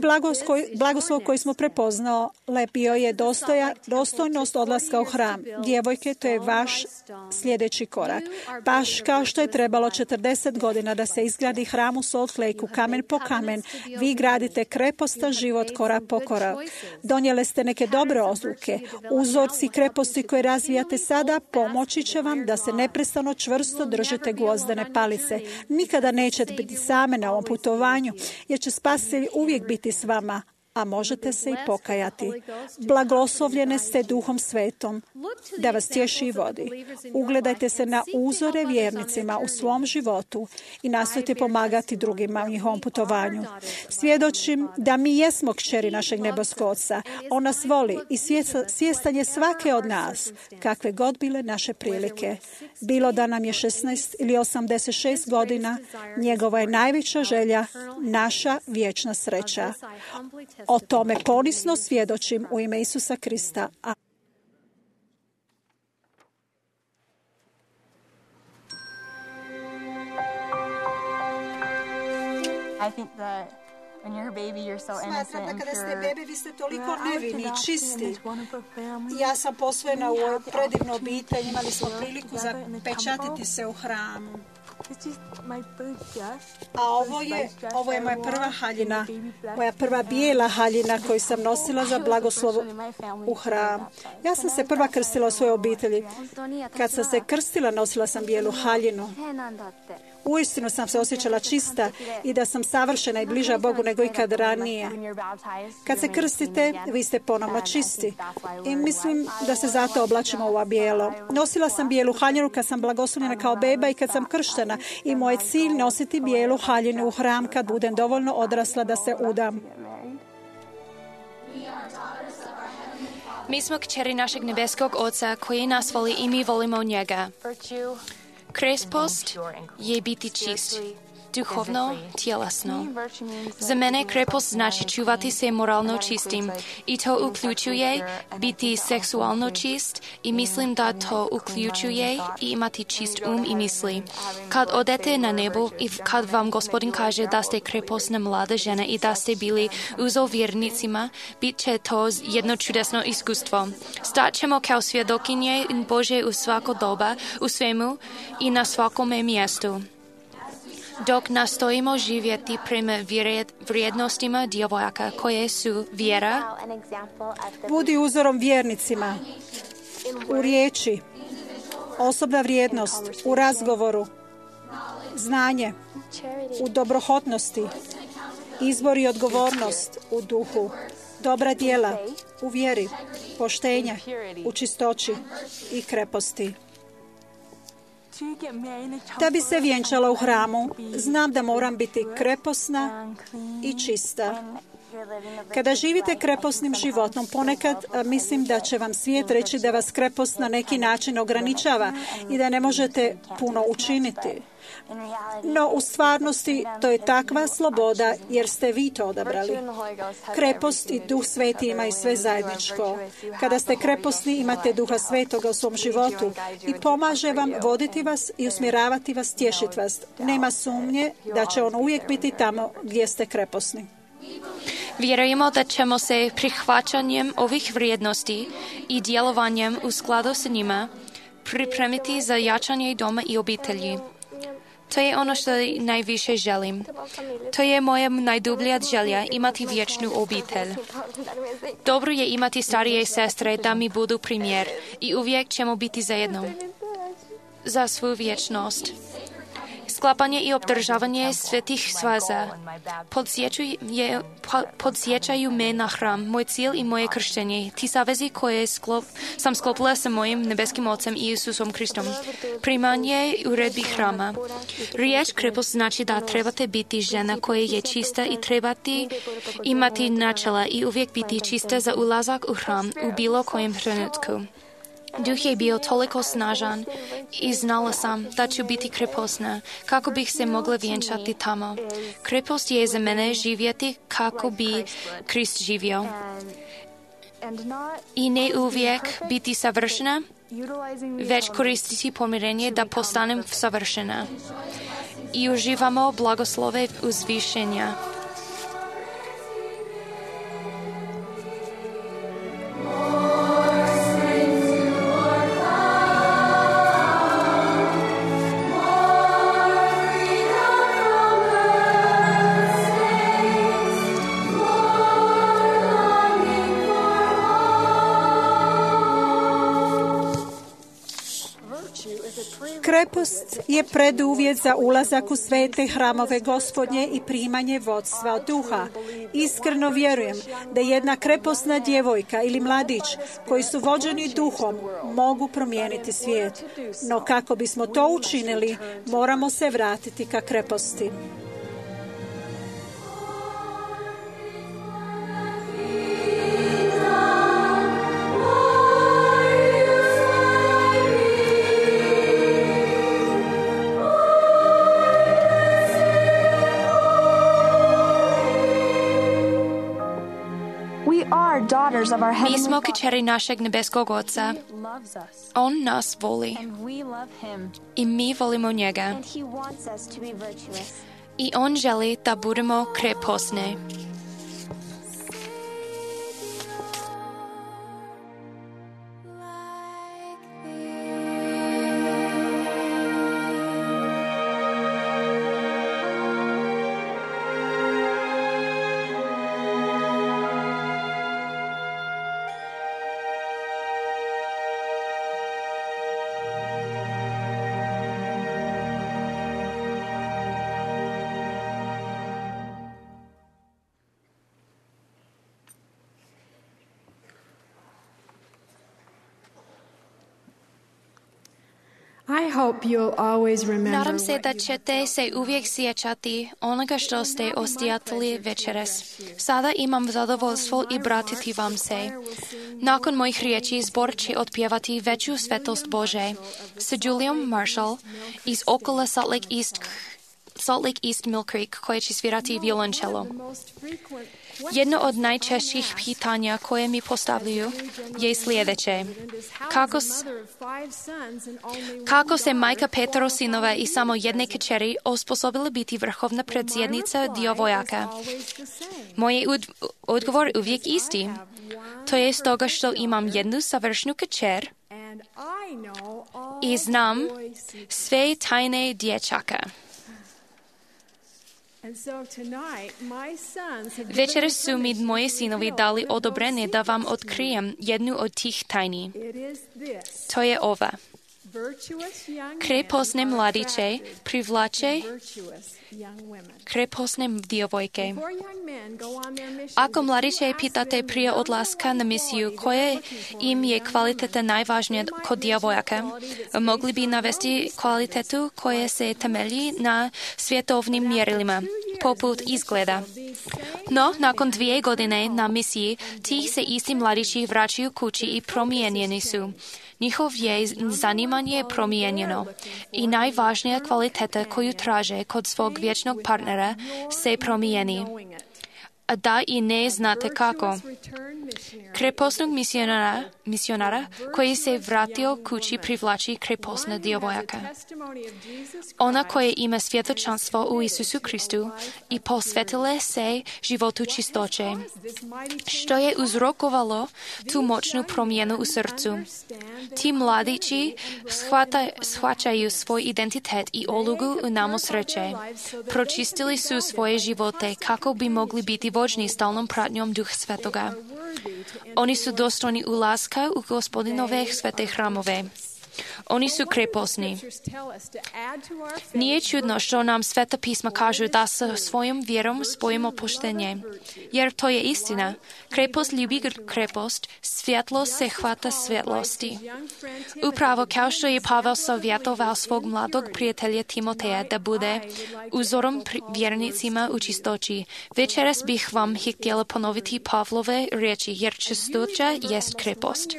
blagoslov koji smo prepoznali bio je dostoja, dostojnost odlaska u hram. Djevojke, to je vaš sljedeći korak. Baš kao što je trebalo četrdeset godina da se izgradi hram u Salt Lakeu, kamen po kamen, vi gradite krepostan život korak po korak. Donijele ste neke dobre odluke. Uzorci kreposti koje razvijate sada pomoći će vam da se neprestano čvrsto držite gvozdene palice. Nikada nećete biti same na ovom putovanju, jer će Spasitelj uvijek biti s vama, a možete se i pokajati. Blagoslovljene ste Duhom Svetom da vas tješi i vodi. Ugledajte se na uzore vjernicima u svom životu i nastojte pomagati drugima u njihovom putovanju. Svjedočim da mi jesmo kćeri našeg nebeskog Oca. On nas voli i svjestan je svake od nas, kakve god bile naše prilike. Bilo da nam je šesnaest ili osamdeset šest godina, njegova je najveća želja naša vječna sreća. O tome ponisno svjedočim u ime Isusa Krista. I think the Smatram da kada ste bebe, vi ste toliko nevini, čisti. Ja sam posvojena u ovoj predivnu obitelj, imali smo priliku zapečatiti se u hramu. A ovo je, ovo je moja prva haljina, moja prva bijela haljina koju sam nosila za blagoslovu u hram. Ja sam se prva krstila u svojoj obitelji. Kad sam se krstila, nosila sam bijelu haljinu. Uistinu sam se osjećala čista i da sam savršena i bliža Bogu nego ikad ranije. Kad se krstite, vi ste ponovno čisti. I mislim da se zato oblačimo u ovo bijelo. Nosila sam bijelu haljinu kad sam blagoslovljena kao beba i kad sam krštena. I moj cilj nositi bijelu haljinu u hram kad budem dovoljno odrasla da se udam. Mi smo kćeri našeg nebeskog Oca koji nas voli i mi volimo njega. Krepost je biti čist, duhovno, tjelesno. Za mene krepost znači čuvati se moralno čistim i to uključuje biti seksualno čist i mislim da to uključuje i imati čist um i misli. Kad odete na nebo i kad vam Gospodin kaže da ste krepostna mlada žena i da ste bili uzo vjernicima, bit će to jedno čudesno iskustvo. Stat ćemo kao svjedokinje Bože u svako doba, u svemu i na svakome mjestu. Dok nastojimo živjeti prema vrijednostima djevojaka koje su vjera, budi uzorom vjernicima u riječi, osobna vrijednost, u razgovoru, znanje, u dobrohotnosti, izbor i odgovornost u duhu, dobra djela, u vjeri, poštenje, u čistoći i kreposti. Da bi se vjenčala u hramu, znam da moram biti kreposna i čista. Kada živite kreposnim životom, ponekad mislim da će vam svijet reći da vas krepost na neki način ograničava i da ne možete puno učiniti. No, u stvarnosti to je takva sloboda jer ste vi to odabrali. Krepost i Duh Sveti imaju sve zajedničko. Kada ste kreposni, imate Duha Svetoga u svom životu i pomaže vam voditi vas i usmjeravati vas, tješiti vas. Nema sumnje da će on uvijek biti tamo gdje ste kreposni. Vjerujemo da ćemo se prihvaćanjem ovih vrijednosti i djelovanjem u skladu s njima pripremiti za jačanje doma i obitelji. To je ono što najviše želim. To je moja najdublja želja, imati vječnu obitelj. Dobro je imati starije sestre da mi budu primjer i uvijek ćemo biti zajedno za svu vječnost. Sklapanje i obdržavanje svetih svaza podsjećaju, podsjećaju me na hram, moj cilj i moje krštenje, ti savezi koje sklop, sam sklopila sa mojim nebeskim Ocem i Isusom Kristom. Primanje uredbi hrama. Riječ krepost znači da trebate biti žena koja je čista i trebate imati načela i uvijek biti čista za ulazak u hram u bilo kojem trenutku. Duh je bio toliko snažan i znala sam da ću biti krepostna kako bih se mogla vjenčati tamo. Krepost je za mene živjeti kako bi Krist živio. I ne uvijek biti savršena, već koristiti pomirenje da postanem savršena. I uživamo blagoslove uzvišenja. Krepost je preduvjet za ulazak u svete hramove Gospodnje i primanje vodstva od Duha. Iskreno vjerujem da jedna kreposna djevojka ili mladić koji su vođeni Duhom mogu promijeniti svijet. No kako bismo to učinili, moramo se vratiti ka kreposti. Mi smo kćeri našeg nebeskog Oca. On nas voli i mi volimo njega. I on želi da budemo krepostni. I hope you'll always remember Nadam se da what you ćete se uvijek sjećati onoga što ste osjetili večeras. Sada imam zadovoljstvo i bratiti vam se. Nakon mojih riječi zbor će otpjevati veću svetost Bože sa Juliom Marshall iz okolo Salt Lake East, Salt Lake East Mill Creek, koja će svirati violončelo. Jedno od najčešćih pitanja koje mi postavljaju je sljedeće. Kako, s, kako se majka petero sinova i samo jedne kćeri osposobila biti vrhovna predsjednica djevojaka? Moj je ud, odgovor uvijek isti. To je stoga što imam jednu savršnu kćer i znam sve tajne dječaka. Večeras su mi moji sinovi dali odobrenje da vam otkrijem jednu od tih tajni. To je ova. Krepostne mladiće privlače krepostne djevojke. Ako mladiće pitate prije odlaska na misiju koje im je kvaliteta najvažnija kod djevojaka, mogli bi navesti kvalitetu koja se temelji na svjetovnim mjerilima, poput izgleda. No, nakon dvije godine na misiji, ti se isti mladići vraćaju kući i promijenjeni su. Njihov je zanimanje promijenjeno i najvažnija kvaliteta koju traže kod svog vječnog partnera se promijeni. A da i ne znate kako. Krepostnog misionara, misionara koji se vratio kući privlači krepostna djevojaka. Ona koja ima svjedočanstvo u Isusu Kristu i posvetila se životu čistoće, što je uzrokovalo tu moćnu promjenu u srcu. Ti mladići shvata, shvaćaju svoj identitet i ulogu u namu sreće. Pročistili su svoje živote kako bi mogli biti vođni stalnom pratnjom Duha Svetoga. Oni su dostojni ulaska u Gospodinove svete hramove. Oni su krepostni. Nije čudno što nam Sveta pisma kažu da sa svojom vjerom spojimo poštenje, jer to je istina. Krepost ljubi krepost, svjetlo se hvata svjetlosti. Upravo kao što je Pavel savjetoval svog mladog prijatelja Timoteja da bude uzorom vjernicima u čistoći. Večeras bih vam htjela ponoviti Pavlove riječi, jer čistoća jest krepost.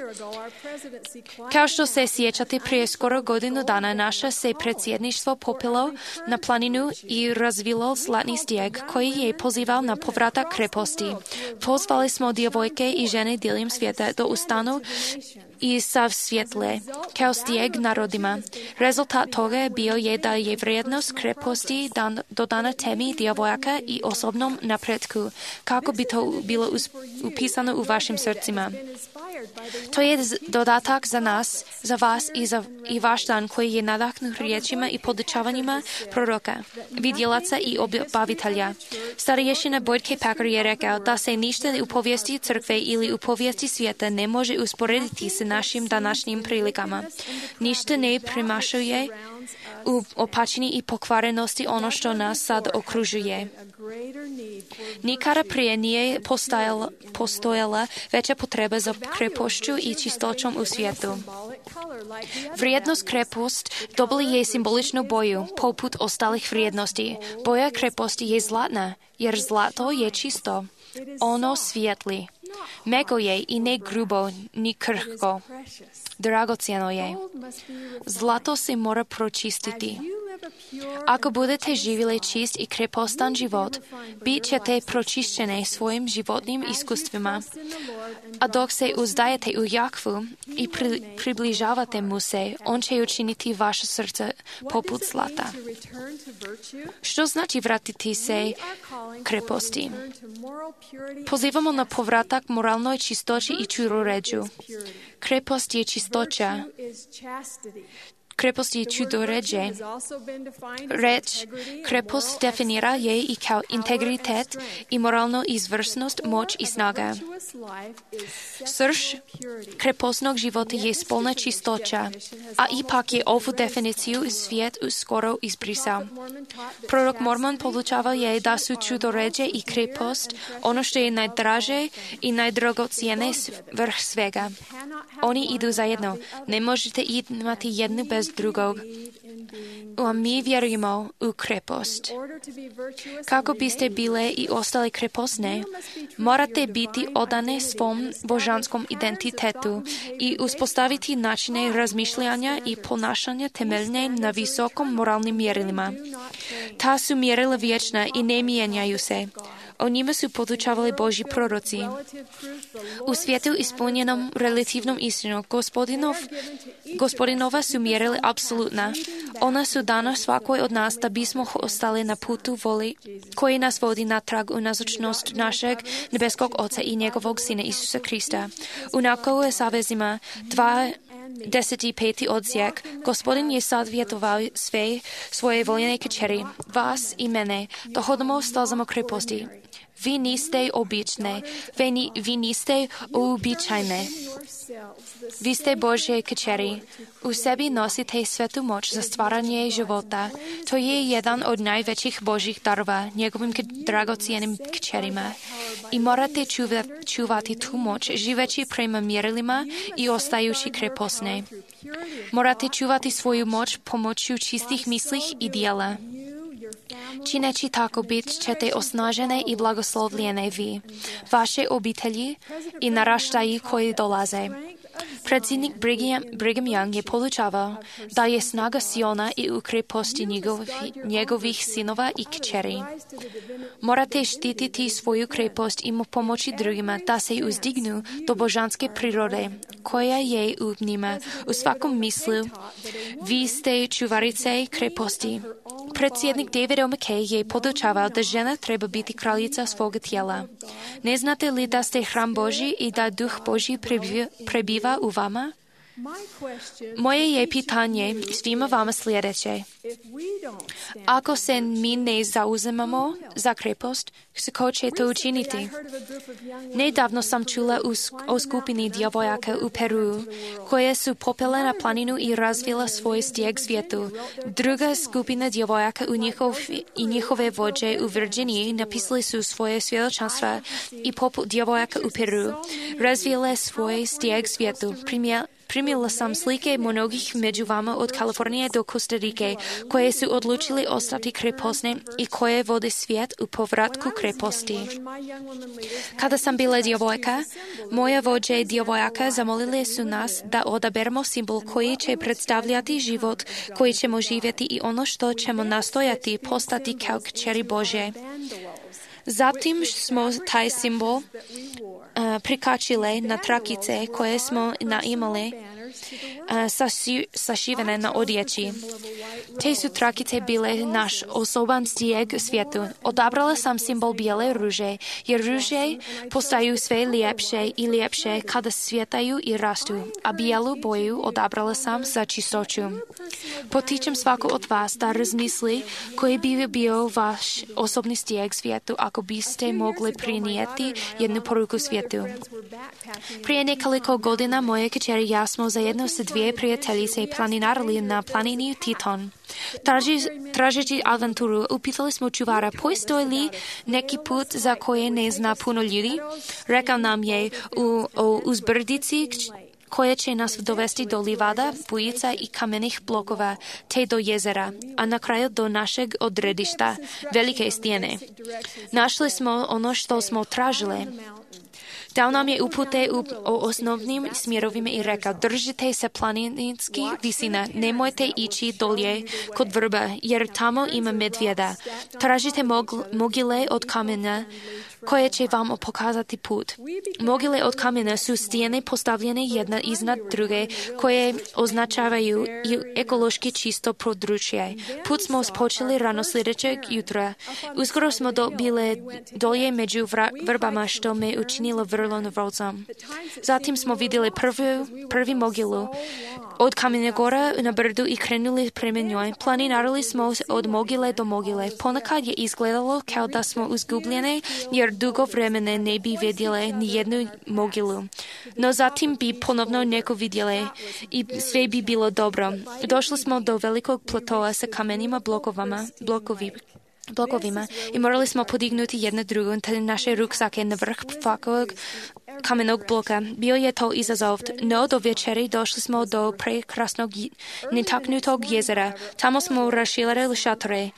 Kao što se sjećate, prije skoro godinu dana naše se predsjedništvo popilo na planinu i razvilo zlatni stijeg koji je pozival na povratak kreposti. Pozvali smo djevojke i žene diljem svijeta da ustanu i sav svjetle, kao stijeg narodima. Rezultat toga je bio je da je vrijednost kreposti dan, dodana temi djevojaka i osobnom napretku, kako bi to bilo upisano u vašim srcima. To je dodatak za nas, za vas i za i vaš dan koji je nadahnut riječima i podučavanjima proroka, vidjelaca i obavitelja. Starješina Boyd Packer je rekao da se ništa u povijesti crkve ili u povijesti svijeta ne može usporediti sa našim današnjim prilikama. Ništa ne premašuje u opačini i pokvarenosti ono što nas sad okružuje. Nikada prije nije postojala, postojala veća potreba za krepošću i čistoćom u svijetu. Vrijednost krepost dobili je simboličnu boju, poput ostalih vrijednosti. Boja kreposti je zlatna, jer zlato je čisto. Ono svijetli. Meko je i ne grubo, ni krhko. Dragocjeno je. Zlato se mora pročistiti. Ako budete živjeli čist i krepostan život, bit ćete pročišćene svojim životnim iskustvima. А док се уздаєте у Яхву і при, приближавате му се, он ще учинити ваше сърце попут злата. Що значи вратити се крепости? Позивамо на повратак моралної чистоти і чудореджу. Крепост є чисточа. Крепост je čudoređe. Reč krepost definira je i kao integritet i moralnu izvrsnost, moć i snaga. Srž krepostnog života je spolna čistoća, a ipak je ovu definiciju svijet skoro izbrisao. Prorok Mormon podučavao je da su čudoređe i krepost ono što je najdraže i najdragocijene vrh svega. Oni idu zajedno. Ne možete imati jednu bez drugog. A mi vjerujemo u krepost. Kako biste bile i ostale krepostne, morate biti odane svom božanskom identitetu i uspostaviti načine razmišljanja i ponašanja temeljne na visokom moralnim mjerilima. Ta su mjerila vječna i ne mijenjaju se. O njima su podučavali Božji proroci. U svijetu ispunjenom relativnom istinom gospodinov, gospodinova su mjerili apsolutna. Ona su dana svakoj od nas da bismo ostali na putu voli koji nas vodi natrag u nazočnost našeg nebeskog Oca i njegovog Sina Isusa Krista. U nakovu savezima dva Deseti peti odsjek, Gospodin je savjetovao sve svoje voljene kćeri, vas i mene, da hodamo stazama kreposti. Vi niste obične, vi, ni, vi niste uobičajne. Vi ste Božje kćeri. U sebi nosite svetu moć za stvaranje života. To je jedan od najvećih Božjih darova njegovim dragocijenim kćerima. I morate čuva, čuvati tu moć, živeći prema mjerilima i ostajući krepostne. Morate čuvati svoju moć pomoću čistih mislih i dijela. Čineći tako bit ćete osnažene i blagoslovljene vi, vaše obitelji i naraštaji koji dolaze. Predsjednik Brigham, Brigham Young je podučavao da je snaga Siona i u kreposti njegovih, njegovih sinova i kćeri. Morate štititi svoju krepost i mu pomoći drugima da se uzdignu do božanske prirode, koja je u njima u svakom mislu. Vi ste čuvarice kreposti. Predsjednik David O. McKay je podučavao da žena treba biti kraljica svoga tijela. Ne znate li da ste hram Božji i da duh Božji prebiva, prebiva u vama? Moje je pitanje svima vama sljedeće. Ako se mi ne zauzemamo za krepost, ko će to učiniti? Nedavno sam čula o skupini djevojaka u Peru, koje su popele na planinu i razvila svoj stijeg svijetu. Druga skupina djevojaka u njihov, i njihove vođe u Virginiji napisali su svoje svjedočanstva i poput djevojaka u Peru razvile svoj stijeg svijetu. Primjer, Primila sam slike mnogih među vama od Kalifornije do Kostarike, koje su odlučili ostati krepostne i koje vode svijet u povratku kreposti. Kada sam bila djevojka, moja vođe djevojaka zamolili su nas da odaberemo simbol koji će predstavljati život koji ćemo živjeti i ono što ćemo nastojati postati kao kćeri Božje. Zatim smo taj simbol uh, prikačile na trakice koje smo naimali uh, saši, sašivene na odjeći. Te su trakice bile naš osoban stijeg svijetu. Odabrala sam simbol bijele ruže, jer ruže postaju sve ljepše i ljepše kada svjetaju i rastu, a bijelu boju odabrala sam za čistoću. Potičem svako od vas da razmisli koji bi bio vaš osobni stijeg svijetu ako biste mogli prinijeti jednu poruku svijetu. Prije nekoliko godina moje kćeri i ja smo zajedno sa dvije prijateljice planinarili na planini Teton. Traži, tražeći avanturu, upitali smo čuvara, postoji li neki put za koje ne zna puno ljudi? Rekao nam je u, u uzbrdici koje će nas dovesti do livada, bujica i kamenih blokova, te do jezera, a na kraju do našeg odredišta, velike stijene. Našli smo ono što smo tražili. Dao nam je upute u, o osnovnim smjerovima i rekao, držite se planinskih visina, nemojte ići dolje kod vrba, jer tamo ima medvjeda. Tražite mog, mogile od kamena koje će vam pokazati put. Mogile od kamena su stijene postavljene jedna iznad druge, koje označavaju i ekološki čisto područje. Put smo počeli rano sljedećeg jutra. Uskoro smo dobili dolje među vrbama, što me učinilo vrlo nervozom. Zatim smo vidjeli prvi, prvi mogilu od Kamenja gora na brdu i krenuli prema njoj. Planinarili smo od mogile do mogile. Ponekad je izgledalo kao da smo izgubljene, jer dugo vremena ne bi vidjeli ni jednu mogilu. No zatim bi ponovno neko vidjeli i sve bi bilo dobro. Došli smo do velikog platoa sa kamenima blokovama, blokovi. blokovima i morali smo podignuti jedno drugo te naše ruksake na vrh svakog kamenog bloka. Bio je to izazov, no do večeri došli smo do prekrasnog netaknutog jezera. Tamo smo raširili šatore.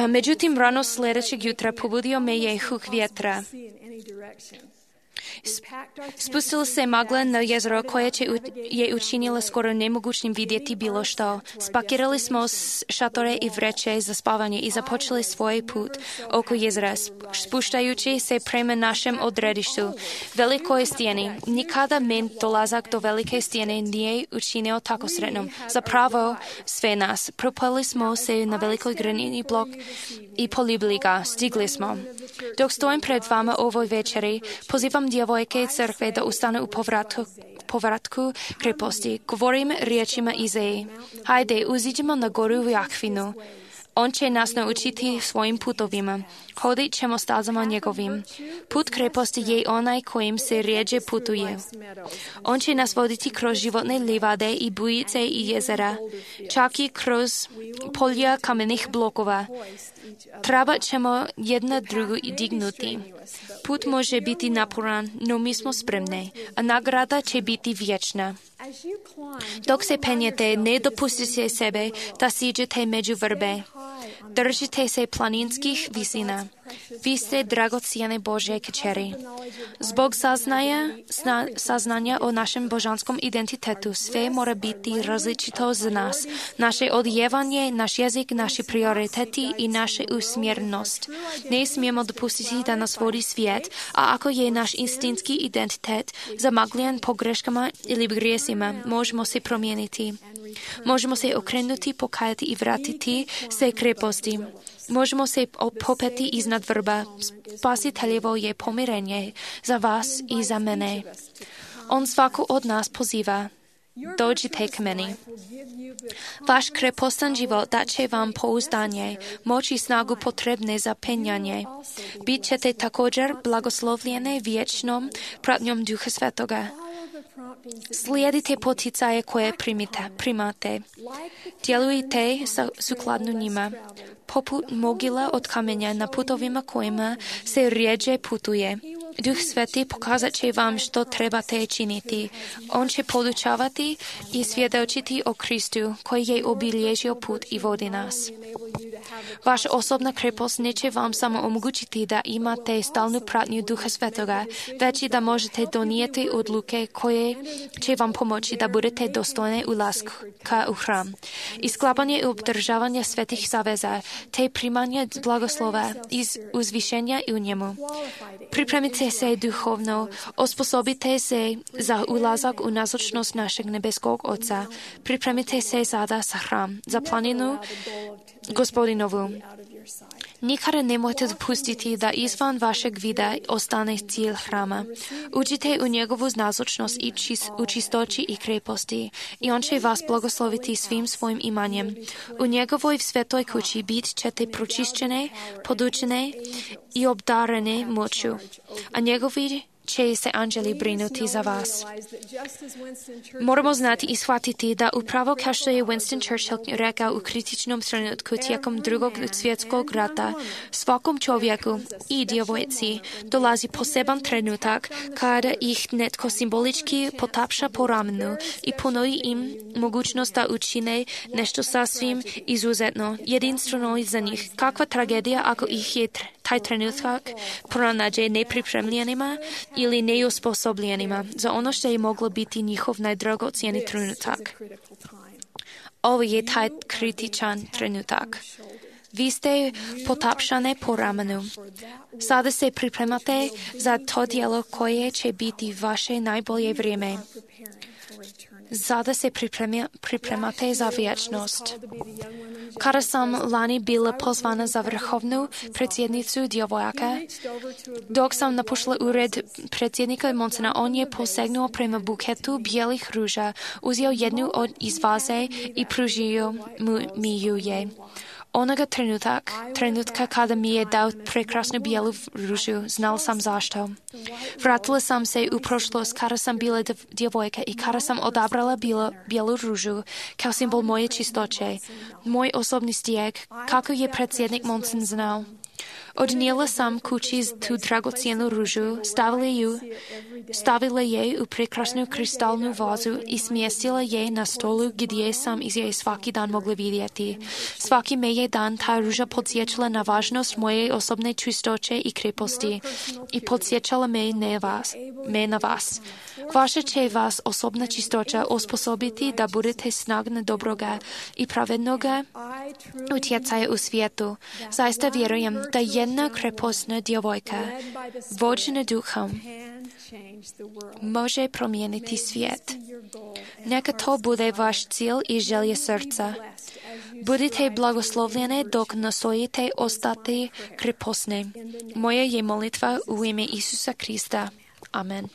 Međutim, rano sljedećeg jutra pobudio me je huk vjetra. Spustila se magla na jezero koje će u, je učinila skoro nemogućnim vidjeti bilo što. Spakirali smo šatore i vreće za spavanje i započeli svoj put oko jezera, spuštajući se prema našem odredištu, velikoj stijeni. Nikada men dolazak do velike stijene nije učinio tako sretnom. Zapravo sve nas. Propali smo se na velikoj granitni blok i poljubili ga. Stigli smo. Dok stojim pred vama ovoj večeri, pozivam djevojke crkve da ustanu u povratku, povratku kreposti. Govorim riječima Izeji. Hajde, uziđemo na goru u Jahvinu. On će nas naučiti svojim putovima. Hodit ćemo stazama njegovim. Put kreposti je onaj kojim se rijeđe putuje. On će nas voditi kroz životne livade i bujice i jezera, čak i kroz polja kamenih blokova. Treba ćemo jedna drugu dignuti. Put može biti naporan, no mi smo spremni, a nagrada će biti vječna. Dok se penjete, ne dopustite sebe da siđete među vrbe. Držite se planinskih visina. Vi ste dragocjene Božje kćeri. Zbog saznanja, sna, saznanja o našem božanskom identitetu sve mora biti različito za nas. Naše odjevanje, naš jezik, naši prioriteti i naša usmjernost. Ne smijemo dopustiti da nas vodi svijet, a ako je naš instinktski identitet zamagljen pogreškama ili grijesima, možemo se promijeniti. Možemo se okrenuti, pokajati i vratiti se kreposti. Možemo se popeti iznad vrba. Spasiteljevo je pomirenje za vas i za mene. On svaku od nas poziva. Dođite k meni. Vaš krepostan život dat će vam pouzdanje, moć i snagu potrebne za penjanje. Bit ćete također blagoslovljene vječnom pratnjom Duha Svetoga. Slijedite poticaje koje primite, primate. Djelujte sukladno njima. Poput mogila od kamenja na putovima kojima se rijeđe putuje. Duh Sveti pokazat će vam što trebate činiti. On će podučavati i svjedočiti o Kristu koji je obilježio put i vodi nas. Vaša osobna krepost neće vam samo omogućiti da imate stalnu pratnju Duha Svetoga, već i da možete donijeti odluke koje će vam pomoći da budete dostojni ulaska u hram. I sklapanje i obdržavanje svetih zaveza, te primanje blagoslova iz uzvišenja u njemu. Pripremite se duhovno, osposobite se za ulazak u nazočnost našeg nebeskog Oca. Pripremite se sada za hram, za planinu Gospodinovu. Nikada nemojte dopustiti da izvan vašeg vida ostane cilj hrama. Uđite u njegovu nazočnost i čis, u čistoći i kreposti i on će vas blagosloviti svim svojim imanjem. U njegovoj svetoj kući bit ćete pročišćene, podučene i obdarene moću, a njegovi će se anđeli brinuti za vas. Moramo znati i shvatiti da upravo kao što je Winston Churchill rekao u kritičnom trenutku tijekom drugog svjetskog rata, svakom čovjeku i djevojci dolazi poseban trenutak kada ih netko simbolički potapša po ramenu i ponudi im mogućnost da učine nešto sasvim izuzetno, jedinstveno za njih. Kakva tragedija ako ih je taj trenutak pronađe nepripremljenima ili neosposobljenima za ono što je moglo biti njihov najdragocjeniji trenutak. Ovo je taj kritičan trenutak. vy jste potapšané po ramenu. Sada se pripremate za to dielo koje će biti vaše najbolje vrijeme. Sada se pripremia, pripremate za vječnost. Kada sam lani bila pozvana za vrhovnu predsjednicu djevojaka, dok sam napušla ured predsjednika Monsona, on je posegnuo prema buketu bijelih ruža, uzeo jednu od iz vaze i pružio mi ju je. Onoga trenutak, trenutka kada mi je dao prekrasnu bijelu ružu, znal sam zašto. Vratila sam se u prošlost kada sam bila djevojka i kada sam odabrala bilo, bijelu ružu kao simbol moje čistoće, moj osobni stijeg, kako je predsjednik Monson znao. Odnijela sam kući tu dragocjenu ružu, stavila, ju, stavila je u prekrasnu kristalnu vazu i smjestila je na stolu gdje sam iz je svaki dan mogla vidjeti. Svaki me je dan ta ruža podsjećala na važnost moje osobne čistoće i kreposti i podsjećala me, ne vas, me na vas. Vaša će vas osobna čistoća osposobiti da budete snagna dobroga i pravednoga utjecaja u svijetu. Zaista vjerujem da jedna krepostna djevojka, vođena duhom, može promijeniti svijet. Neka to bude vaš cilj i želje srca. Budite blagoslovljene dok nastojite ostati krepostne. Moja je molitva u ime Isusa Krista. Amen.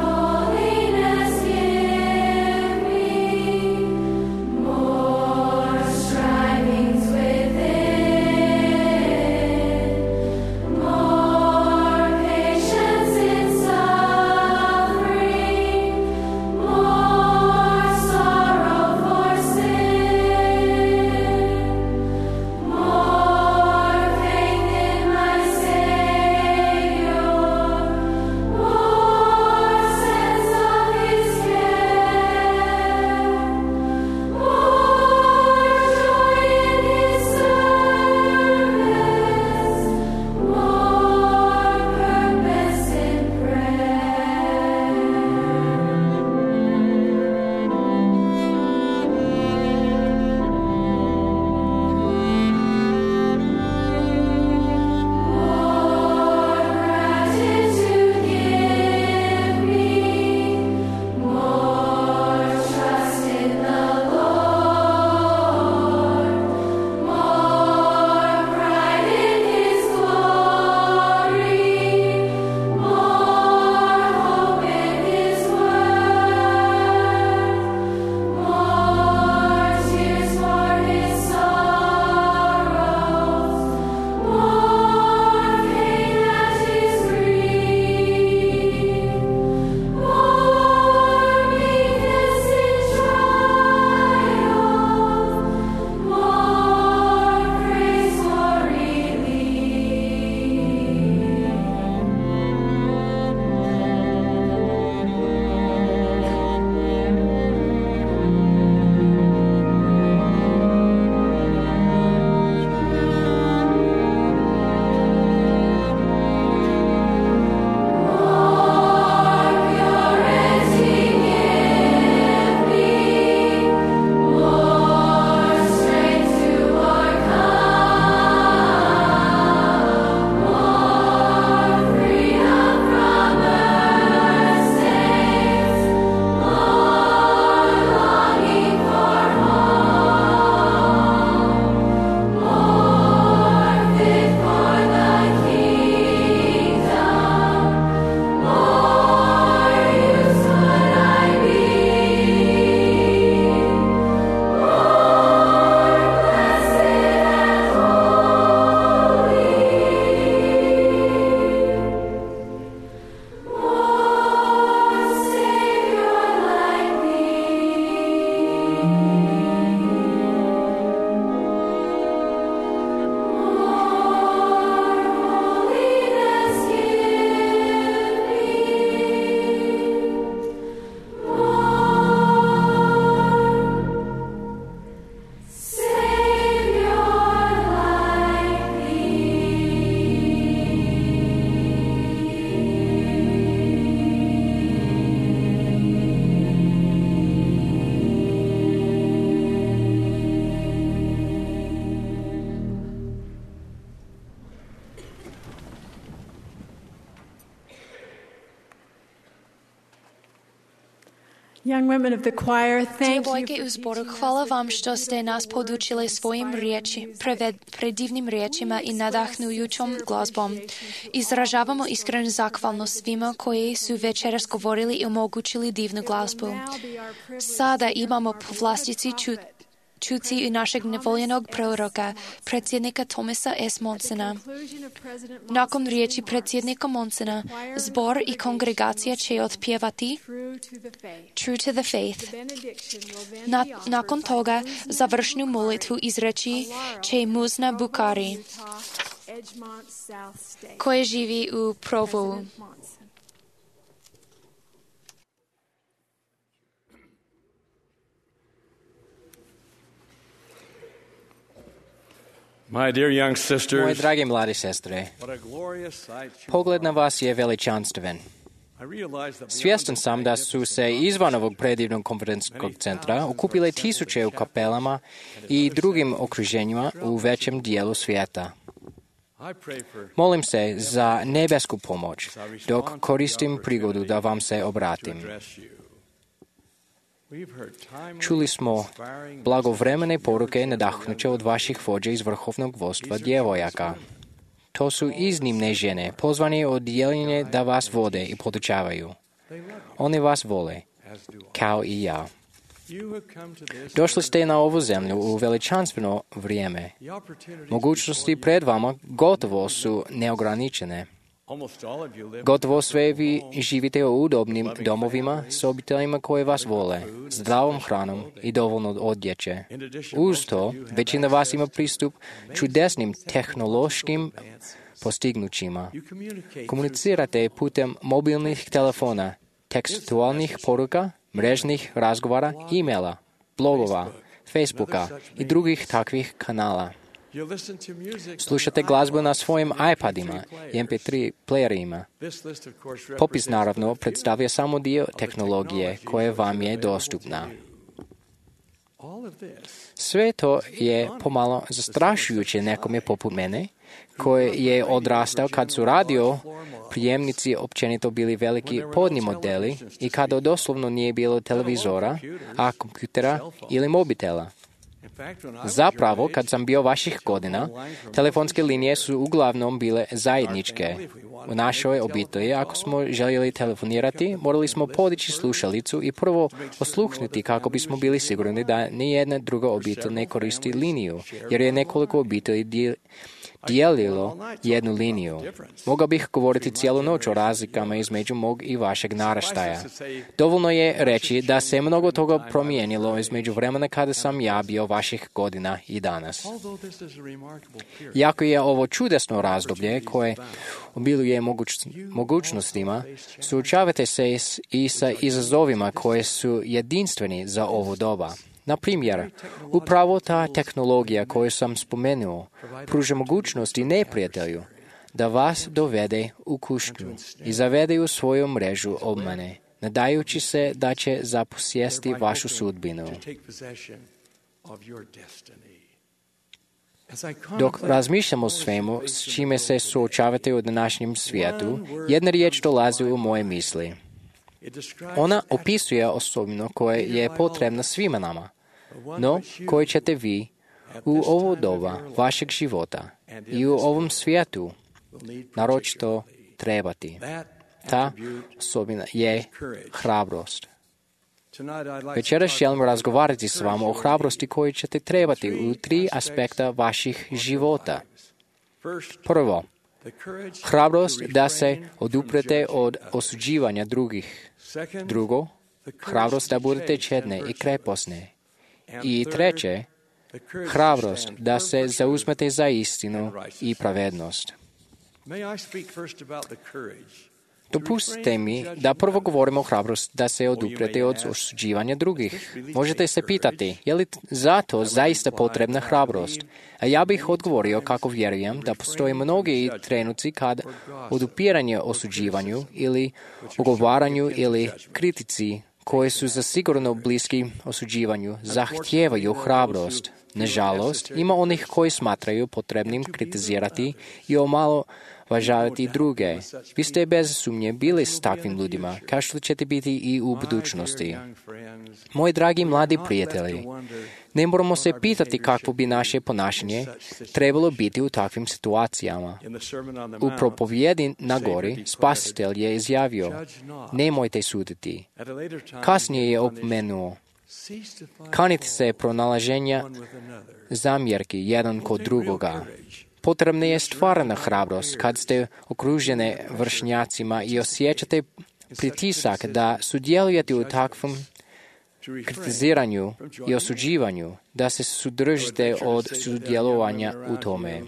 Holiness, yeah. Young women of the choir, thank Djevojke you u zboru, hvala vam što ste nas podučili svojim riječi, preved, predivnim riječima i nadahnujućom glazbom. Izražavamo iskrenu zahvalnost svima koji su večeras govorili i omogućili divnu glazbu. Sada imamo povlastici čuti čuti i našeg nevoljenog proroka, predsjednika Thomasa S. Monsona. Nakon riječi predsjednika Monsona, zbor i kongregacija će otpjevati True to the Faith. Na, nakon toga završnu molitvu izreći će Muzna Bukari, koja živi u Provu. My dear young sisters, Moje drage mlade sestre, pogled na vas je veličanstven. Svjestan sam da su se izvan ovog predivnog konferencijskog centra okupile tisuće u kapelama i drugim okruženjima u većem dijelu svijeta. Molim se za nebesku pomoć dok koristim prigodu da vam se obratim. Čuli smo blagovremene poruke nadahnuće od vaših vođa iz vrhovnog vodstva djevojaka. To su iznimne žene, pozvane od dijeljenja da vas vode i podučavaju. Oni vas vole, kao i ja. Došli ste na ovu zemlju u veličanstveno vrijeme. Mogućnosti pred vama gotovo su neograničene. Gotovo sve vi živite u udobnim domovima s obiteljima koje vas vole, zdravom hranom i dovoljno odjeće. Uz to, većina vas ima pristup čudesnim tehnološkim postignućima. Komunicirate putem mobilnih telefona, tekstualnih poruka, mrežnih razgovara, e-maila, blogova, Facebooka i drugih takvih kanala. Slušate glazbu na svojim iPadima i em pe tri playerima. Popis naravno predstavlja samo dio tehnologije koja vam je dostupna. Sve to je pomalo zastrašujuće nekome poput mene, koji je odrastao kad su radio prijemnici općenito bili veliki podni modeli i kada doslovno nije bilo televizora, a kompjutera ili mobitela. Zapravo, kad sam bio vaših godina, telefonske linije su uglavnom bile zajedničke. U našoj obitelji, ako smo željeli telefonirati, morali smo podići slušalicu i prvo osluhnuti kako bismo bili sigurni da nijedna druga obitelj ne koristi liniju, jer je nekoliko obitelji dijelilo jednu liniju. Mogao bih govoriti cijelu noć o razlikama između mog i vašeg naraštaja. Dovoljno je reći da se mnogo toga promijenilo između vremena kada sam ja bio vaših godina i danas. Jako je ovo čudesno razdoblje koje obiluje moguć, mogućnostima, suočavate se i sa izazovima koje su jedinstveni za ovo doba. Na primjer, upravo ta tehnologija koju sam spomenuo pruža mogućnosti neprijatelju da vas dovede u kušnju i zavede u svoju mrežu obmane, nadajući se da će zaposjesti vašu sudbinu. Dok razmišljamo o svemu s čime se suočavate u današnjem svijetu, jedna riječ dolazi u moje misli. Ona opisuje osobinu koja je potrebna svima nama, no koji ćete vi u ovo doba vašeg života i u ovom svijetu naročito trebati. Ta osobina je hrabrost. Večeras želim razgovarati s vama o hrabrosti koju ćete trebati u tri aspekta vaših života. Prvo, hrabrost da se oduprete od osuđivanja drugih. Drugo, hrabrost da budete čedne i kreposne. I treće, hrabrost da se zauzmete za istinu i pravednost. Dopustite mi da prvo govorimo o hrabrosti da se oduprete od osuđivanja drugih. Možete se pitati, je li zato zaista potrebna hrabrost? A ja bih odgovorio kako vjerujem da postoje mnogi trenuci kad odupiranje osuđivanju ili ogovaranju ili kritici koji su zasigurno bliski osuđivanju zahtijevaju hrabrost. Nažalost, ima onih koji smatraju potrebnim kritizirati i omalovažavati druge. Vi ste bez sumnje bili s takvim ljudima, kao što ćete biti i u budućnosti. Moji dragi mladi prijatelji, ne moramo se pitati kakvo bi naše ponašanje trebalo biti u takvim situacijama. U propovjedi na gori Spasitelj je izjavio: nemojte suditi. Kasnije je opomenuo: kanite se pronalaženja zamjerki jedan kod drugoga. Potrebna je stvarna hrabrost kad ste okružene vršnjacima i osjećate pritisak da sudjelujete u takvom kritiziranju i osuđivanju, da se sudržite od sudjelovanja u tome.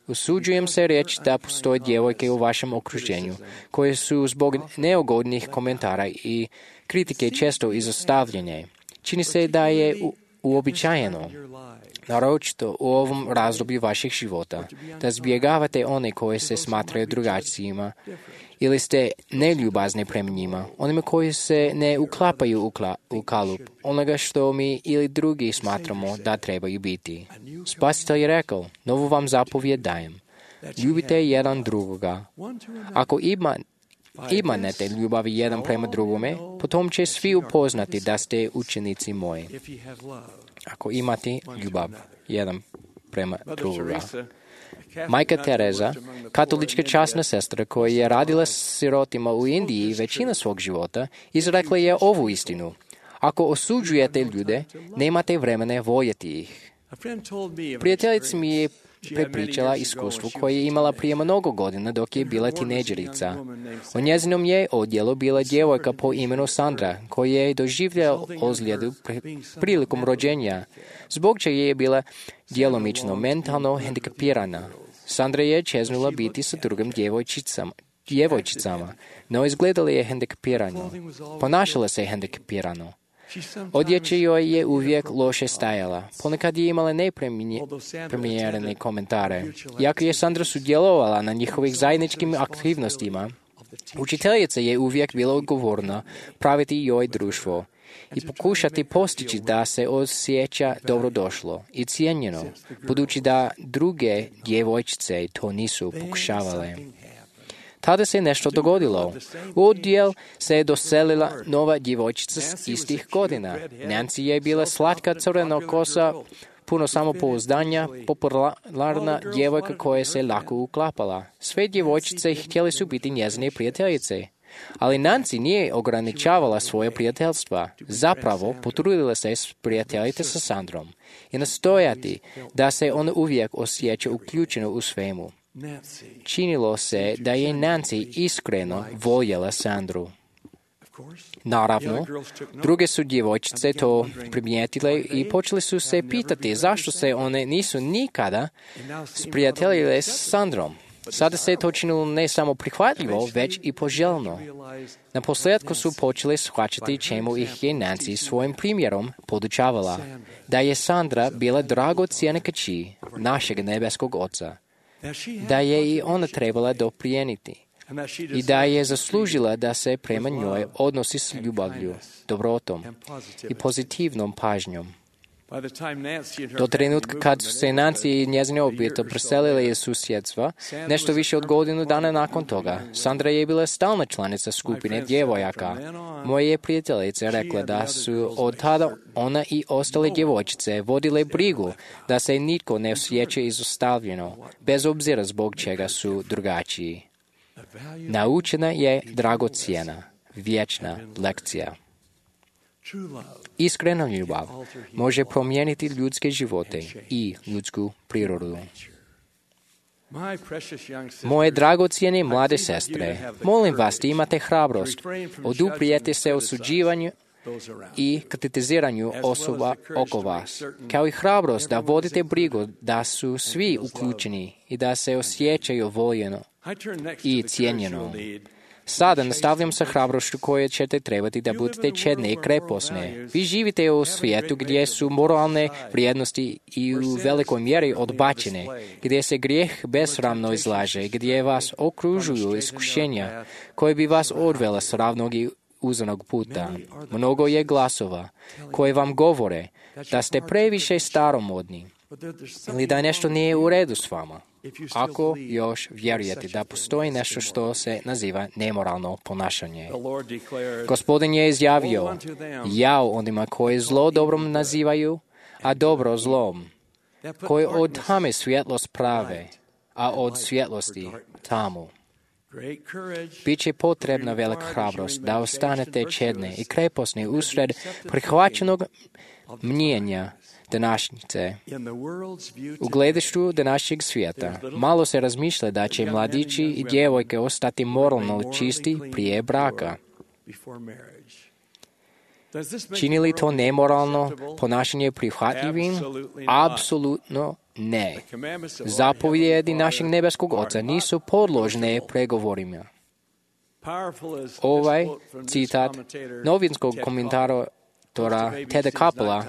Usuđujem se reći da postoje djevojke u vašem okruženju koje su zbog neugodnih komentara i kritike često izostavljene. Čini se da je u, uobičajeno, naročito u ovom razdoblju vaših života, da zbjegavate one koje se smatraju drugačijima ili ste neljubazni prema njima, onima koji se ne uklapaju u, kla, u kalup onoga što mi ili drugi smatramo da trebaju biti. Spasitelj je rekao: novu vam zapovjed dajem. Ljubite jedan drugoga. Ako ima Imanete ljubavi jedan prema drugome, potom će svi upoznati da ste učenici moji. Ako imate ljubav jedan prema drugoga. Majka Tereza, katolička časna sestra koja je radila s sirotima u Indiji većina svog života, izrekla je ovu istinu: ako osuđujete ljude, nemate vremena voljeti ih. Prijateljica mi je prepričala iskustvo koje je imala prije mnogo godina dok je bila tineđerica. U njezinom je odjelu bila djevojka po imenu Sandra, koja je doživjela ozljedu prilikom rođenja, zbog čega je bila djelomično mentalno hendikapirana. Sandra je čeznula biti sa drugim djevojčicama, djevojčicama, no izgledala je hendikapirano. Ponašala se hendikapirano. Odjeća joj je uvijek loše stajala. Ponekad je imala neprimjerene komentare. Iako je Sandra sudjelovala na njihovih zajedničkim aktivnostima, učiteljica je uvijek bila odgovorna praviti joj društvo i pokušati postići da se osjeća dobrodošlo i cijenjeno, budući da druge djevojčice to nisu pokušavale. Tada se nešto dogodilo. U odjel se je doselila nova djevojčica s istih godina. Nancy je bila slatka crveno kosa, puno samopouzdanja, popularna djevojka koja se lako uklapala. Sve djevojčice htjeli su biti njezine prijateljice. Ali Nancy nije ograničavala svoje prijateljstva. Zapravo, potrudila se prijateljiti sa Sandrom i nastojati da se ona uvijek osjeća uključena u svemu. Činilo se da je Nancy iskreno voljela Sandru. Naravno, druge su djevojčice to primijetile i počeli su se pitati zašto se one nisu nikada sprijateljile s Sandrom. Sada se je to činilo ne samo prihvatljivo, već i poželjno. Na posljedku su počeli shvaćati čemu ih je Nancy svojim primjerom podučavala, da je Sandra bila dragocjena kći našeg nebeskog Oca, da je i ona trebala doprijeniti i da je zaslužila da se prema njoj odnosi s ljubavlju, dobrotom i pozitivnom pažnjom. Do trenutka kad su se Nancy i njezine obitelj preselile iz susjedstva, nešto više od godinu dana nakon toga, Sandra je bila stalna članica skupine djevojaka. Moja je prijateljica rekla da su od tada ona i ostale djevojčice vodile brigu da se nitko ne osjeća izostavljeno, bez obzira zbog čega su drugačiji. Naučena je dragocjena, vječna lekcija. Iskrena ljubav može promijeniti ljudske živote i ljudsku prirodu. Moje dragocjene mlade sestre, molim vas da imate hrabrost, oduprijete se osuđivanju i kritiziranju osoba oko vas, kao i hrabrost da vodite brigu da su svi uključeni i da se osjećaju voljeno i cijenjeno. Sada nastavljam sa hrabrošću koje ćete trebati da budete čedne i kreposne. Vi živite u svijetu gdje su moralne vrijednosti i u velikoj mjeri odbačene, gdje se grijeh besramno izlaže, gdje vas okružuju iskušenja koje bi vas odvela s ravnog i uzanog puta. Mnogo je glasova koje vam govore da ste previše staromodni, ili da nešto nije u redu s vama. Ako još vjerujete da postoji nešto što se naziva nemoralno ponašanje. Gospodin je izjavio, jao onima koji zlo dobrom nazivaju, a dobro zlom, koji od tame svjetlost prave, a od svjetlosti tamu. Biće potrebna velika hrabrost da ostanete čedni i kreposni usred prihvaćenog mnjenja današnjice. U gledištu današnjeg svijeta malo se razmišlja da će mladići i djevojke ostati moralno čisti prije braka. Čini li to nemoralno ponašanje prihvatljivim? Apsolutno ne. Zapovjedi našeg nebeskog Oca nisu podložne pregovorima. Ovaj citat novinskog komentatora Teda Kappela,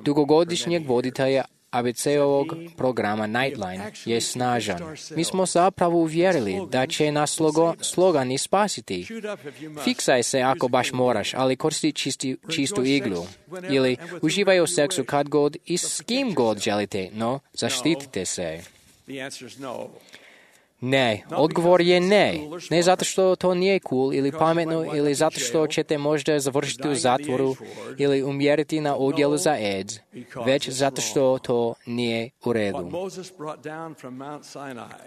dugogodišnjeg voditelja A B C-ovog programa Nightline, je snažan. Mi smo zapravo uvjerili da će nas slogo, slogani spasiti. Fiksaj se ako baš moraš, ali koristi čisti, čistu iglu. Ili uživaj u seksu kad god i s kim god želite, no zaštitite se. Ne, odgovor je ne. Ne zato što to nije cool ili pametno ili zato što ćete možda završiti u zatvoru ili umjeriti na odjelu za AIDS, već zato što to nije u redu.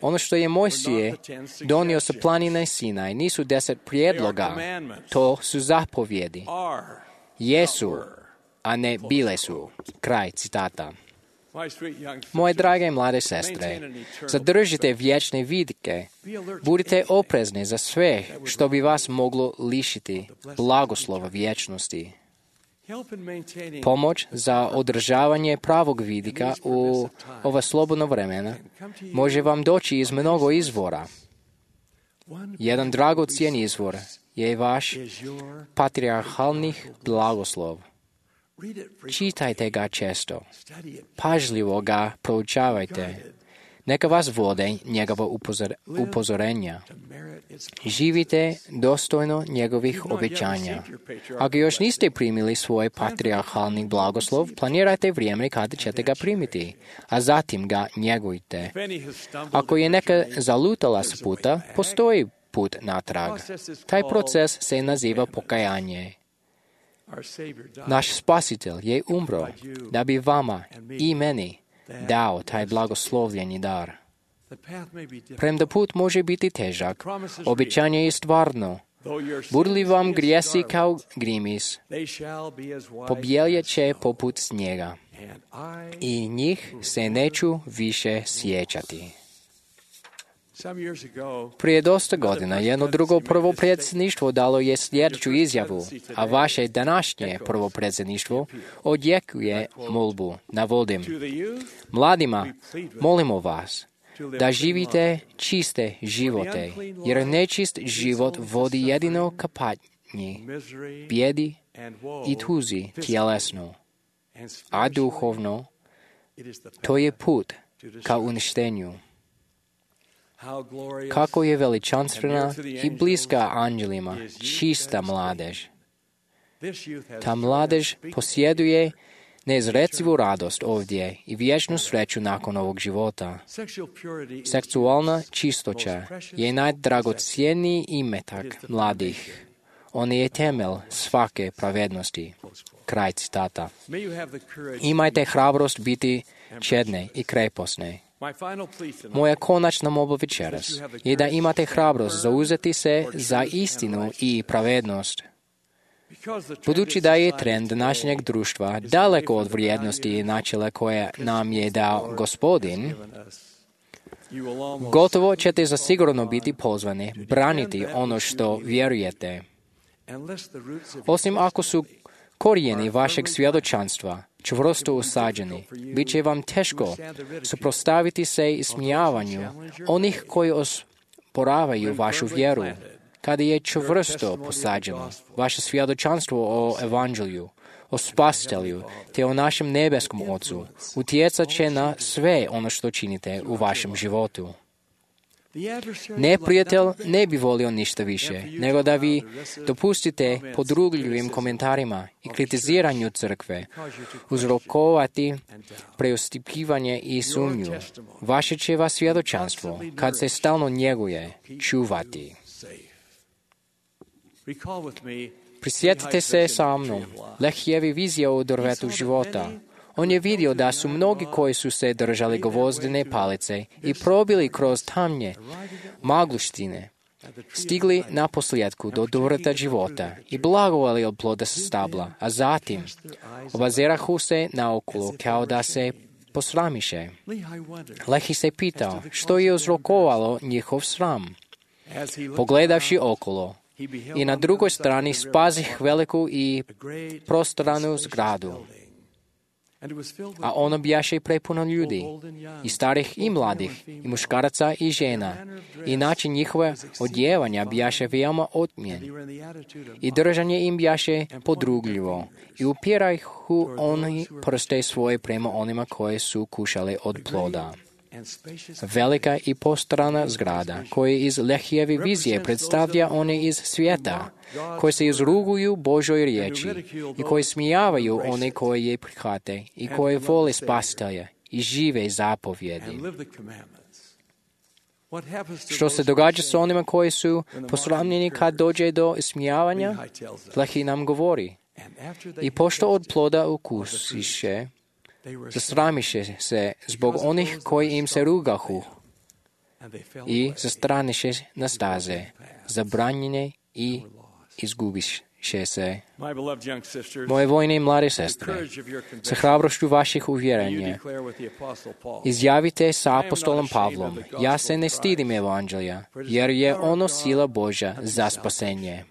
Ono što je Mojsije donio sa planine Sinaj nisu deset prijedloga, to su zapovjedi. Jesu, a ne bile su. Kraj citata. Moje drage mlade sestre, zadržite vječne vidike. Budite oprezni za sve što bi vas moglo lišiti blagoslova vječnosti. Pomoć za održavanje pravog vidika u ova slobodno vremena može vam doći iz mnogo izvora. Jedan dragocjen izvor je vaš patrijarhalni blagoslov. Čitajte ga često. Pažljivo ga proučavajte. Neka vas vode njegova upozor, upozorenja. Živite dostojno njegovih obećanja. Ako još niste primili svoj patrijarhalni blagoslov, planirajte vrijeme kada ćete ga primiti, a zatim ga njegujte. Ako je neka zalutala s puta, postoji put natrag. Taj proces se naziva pokajanje. Naš Spasitelj je umro da bi vama i meni dao taj blagoslovljeni dar. Premda put može biti težak, obećanje je stvarno. Budu li vam grijesi kao grimis, pobjeljet će poput snijega i njih se neću više sjećati. Prije dosta godina jedno drugo prvo predsjedništvo dalo je sljedeću izjavu, a vaše današnje prvo predsjedništvo odjekuje molbu. Navodim. Mladima, molimo vas da živite čiste živote, jer nečist život vodi jedino ka patnji, bijedi i tuzi tjelesno, a duhovno to je put ka uništenju. Kako je veličanstvena i bliska anđelima, čista mladež. Ta mladež posjeduje neizrecivu radost ovdje i vječnu sreću nakon ovog života. Seksualna čistoća je najdragocjeniji imetak mladih. On je temelj svake pravednosti. Kraj citata. Imajte hrabrost biti čedne i kreposne. Moja konačna molba večeras je da imate hrabrost zauzeti se za istinu i pravednost. Budući da je trend današnjeg društva daleko od vrijednosti i načela koje nam je dao Gospodin, gotovo ćete zasigurno biti pozvani braniti ono što vjerujete. Osim ako su korijeni vašeg svjedočanstva čvrsto usađeni, bit će vam teško suprotstaviti se ismijavanju onih koji osporavaju vašu vjeru. Kada je čvrsto posađeno vaše svjedočanstvo o evanđelju, o spasitelju, te o našem nebeskom Ocu, utjecat će na sve ono što činite u vašem životu. Neprijatelj ne bi volio ništa više, nego da vi dopustite podrugljivim komentarima i kritiziranju crkve uzrokovati preustupivanje i sumnju. Vaše će vas svjedočanstvo, kad se stalno njeguje, čuvati. Prisjetite se sa mnom Lehijevi vizije o drvetu života. On je vidio da su mnogi koji su se držali gvozdene palice i probili kroz tamnje magluštine, stigli na posljedku do drveta života i blagovali od ploda sa stabla, a zatim obazirahu se naokolo kao da se posramiše. Lehi se pitao što je uzrokovalo njihov sram. Pogledavši okolo, i na drugoj strani spazih veliku i prostranu zgradu. A ono bijaše prepuno ljudi, i starih i mladih, i muškaraca i žena, i način njihove odjevanja bijaše veoma otmjen. I držanje im bijaše podrugljivo, i upirahu oni prste svoje prema onima koje su kušali od ploda. Velika i postrana zgrada, koja iz Lehijevi vizije predstavlja one iz svijeta, koji se izruguju Božoj riječi i koji smijavaju one koje je prihvate i koje vole spasitelja i žive zapovjedi. Što se događa s onima koji su posramljeni kad dođe do ismijavanja? Lehi nam govori. I pošto od ploda ukusiše, zasramiše se zbog onih koji im se rugahu i zastraniše na staze, zabranjene i izgubiše se. Moje vojne i mlade sestre, sa hrabrošću vaših uvjerenja, izjavite sa apostolom Pavlom, ja se ne stidim evanđelja, jer je ono sila Božja za spasenje.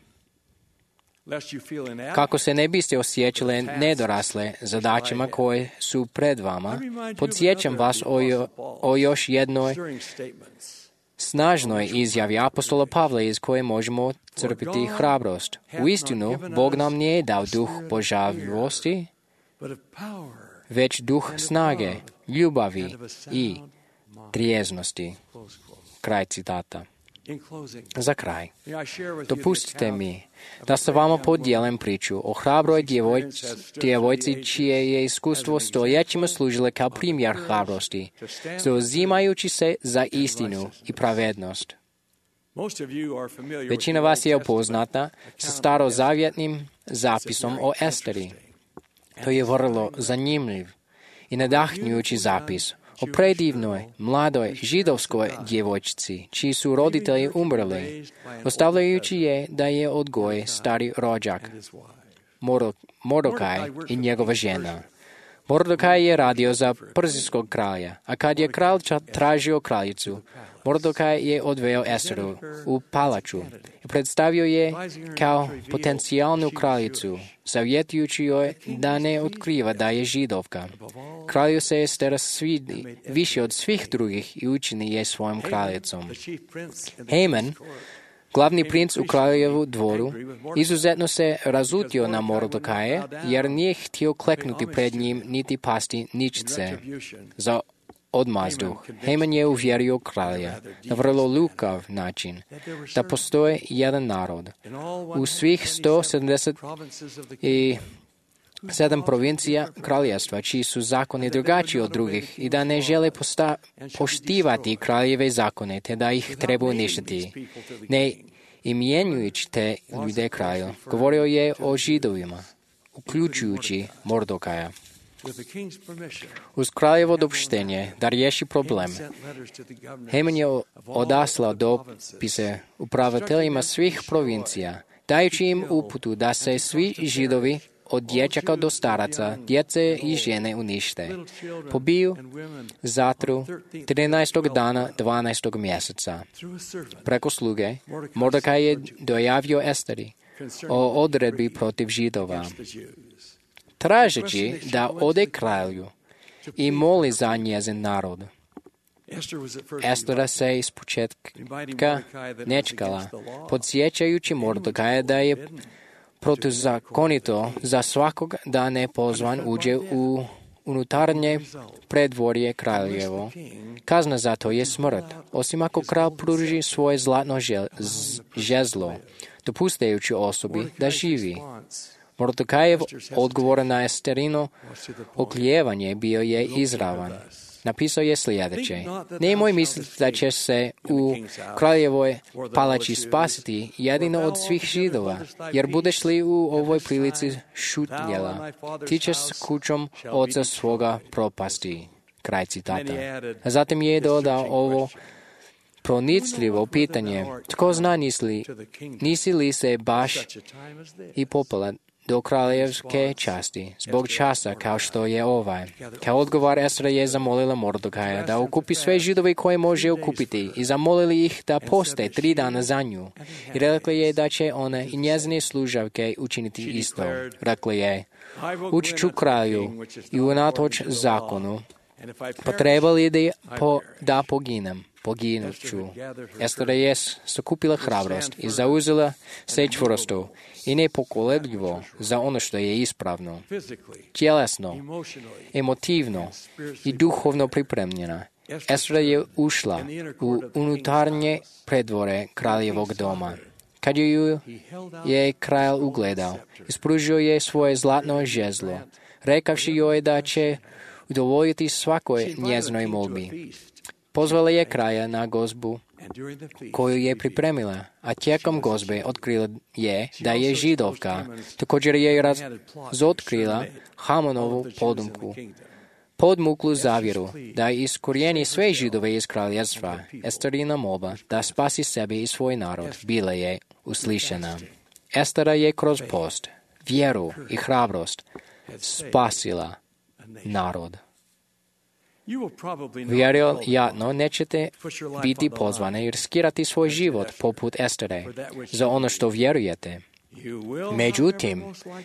Kako se ne biste osjećali nedorasle zadaćama koje su pred vama, podsjećam vas o, jo, o još jednoj snažnoj izjavi apostola Pavla iz koje možemo crpiti hrabrost. Uistinu, Bog nam nije dao duh božavljivosti, već duh snage, ljubavi i trijeznosti. Kraj citata. Za kraj, dopustite mi da sa vama podijelim priču o hrabroj djevojci, djevojci čije je iskustvo stoljećima služile kao primjer hrabrosti, zauzimajući se za istinu i pravednost. Većina vas je upoznata sa starozavjetnim zapisom o Esteri. To je vrlo zanimljiv i nadahnjujući zapis o predivnoj, mladoj židovskoj djevojčici, čiji su roditelji umrli, ostavljajući je da je odgoji stari rođak, Mordokaj i njegova žena. Mordokaj je radio za perzijskog kralja, a kad je kralj tražio kraljicu, Mordokaj je odveo Esteru u palaču i predstavio je kao potencijalnu kraljicu, savjetujući joj da ne otkriva da je židovka. Kralju se Estera svidi više od svih drugih i učini je svojom kraljicom. Haman, glavni princ u kraljevu dvoru, izuzetno se razutio na Mordokaje, jer nije htio kleknuti pred njim niti pasti ničice za odmazdu. Haman je uvjerio kralja na vrlo lukav način da postoje jedan narod. U svih sto sedamdeset sedam provincija kraljevstva, čiji su zakoni drugačiji od drugih i da ne žele posta- poštivati kraljeve zakone, te da ih treba uništiti. Ne imjenjujući te ljude kralju, govorio je o židovima, uključujući Mordokaja. Uz kraljevo dopuštenje da riješi problem, Haman je odaslao dopise upraviteljima svih provincija, dajući im uputu da se svi židovi od dječaka do staraca, djece i žene unište, pobiju, zatru trinaestog dana dvanaestog mjeseca. Preko sluge, Mordokaj je dojavio Esteri o odredbi protiv židova, tražeći da ode kralju i moli za njezin narod. Estera se iz početka nečkala, podsjećajući Mordokaja da je protuzakonito za svakog da ne pozvan uđe u unutarnje predvorje kraljevo. Kazna za to je smrt, osim ako kralj pruži svoje zlatno žezlo, dopuštajući osobi da živi. Mordekajev odgovor na Esterino oklijevanje bio je izravan. Napisao je sljedeće: nemoj misliti da će se u kraljevoj palači spasiti jedino od svih Židova, jer budeš li u ovoj prilici šutnjela, ti ćeš s kućom oca svoga propasti. Kraj citata. A zatim je dodao ovo pronicljivo pitanje: tko zna, nisi, nisi li se baš i popela do kraljevske časti, zbog časa kao što je ovaj. Kao odgovor Estra je zamolila Mordekaja da okupi sve Židove koje može okupiti i zamolili ih da poste tri dana za nju. I rekla je da će one i njezine služavke učiniti isto. Rekla je: ući ću kralju i unatoč zakonu, potrebali da, po, da poginem. Poginut ću. Estra je sakupila hrabrost i zauzela se čvrsto i nepokolebljivo za ono što je ispravno, tjelesno, emotivno i duhovno pripremljena. Estra je ušla u unutarnje predvore kraljevog doma. Kad ju je kralj ugledao, ispružio je svoje zlatno žezlo, rekavši joj da će udovoljiti svakoj njezinoj molbi. Pozvala je kralja na gozbu koju je pripremila, a tijekom gozbe otkrila je da je Židovka. Također je razotkrila Hamonovu podmuklu, podmuklu zavjeru da iskorijeni sve Židove iz kraljevstva. Esterina molba da spasi sebe i svoj narod bila je uslišena. Estera je kroz post, vjeru i hrabrost spasila narod. Vjerojatno nećete biti pozvani i riskirati svoj život poput Estere za ono što vjerujete. Međutim,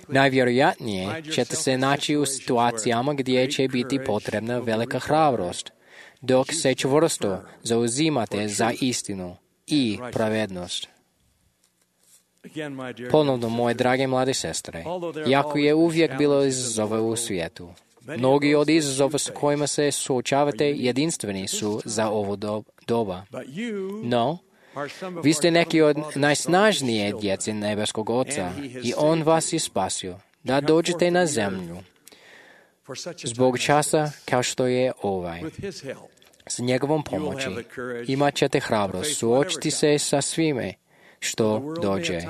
najvjerojatnije ćete se naći u situacijama gdje će biti potrebna velika hrabrost, dok se čvrsto zauzimate za istinu i pravednost. Ponovno, moje drage mlade sestre, jako je uvijek bilo izazova u svijetu. Mnogi od izazova s kojima se suočavate jedinstveni su za ovo doba. No, vi ste neki od najsnažnije djece nebeskog Oca i On vas je spasio da dođete na zemlju zbog časa kao što je ovaj. S njegovom pomoći imat ćete hrabrost suočiti se sa svime što dođe.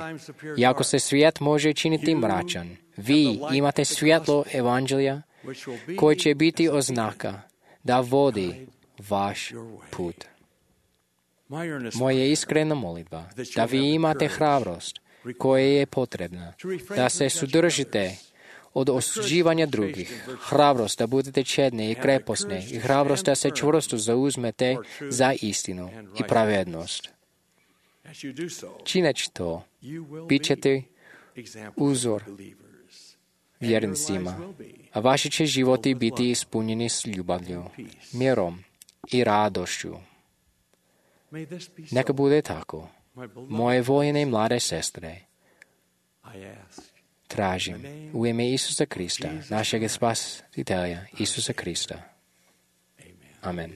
Iako se svijet može činiti mračan, vi imate svjetlo evanđelja koji će biti oznaka da vodi vaš put. Moja iskrena molitva da vi imate hrabrost koja je potrebna, da se sudržite od osuđivanja drugih, hrabrost da budete čedni i kreposni i hrabrost da se čvrsto zauzmete za istinu i pravednost. Čineći to, bit ćete uzor vjernicima, a vaši će životi biti ispunjeni s ljubavlju, mirom i radošću. Neka bude tako. Moje voljene mlade sestre, tražim u ime Isusa Krista, našeg spasitelja, Isusa Krista. Amen.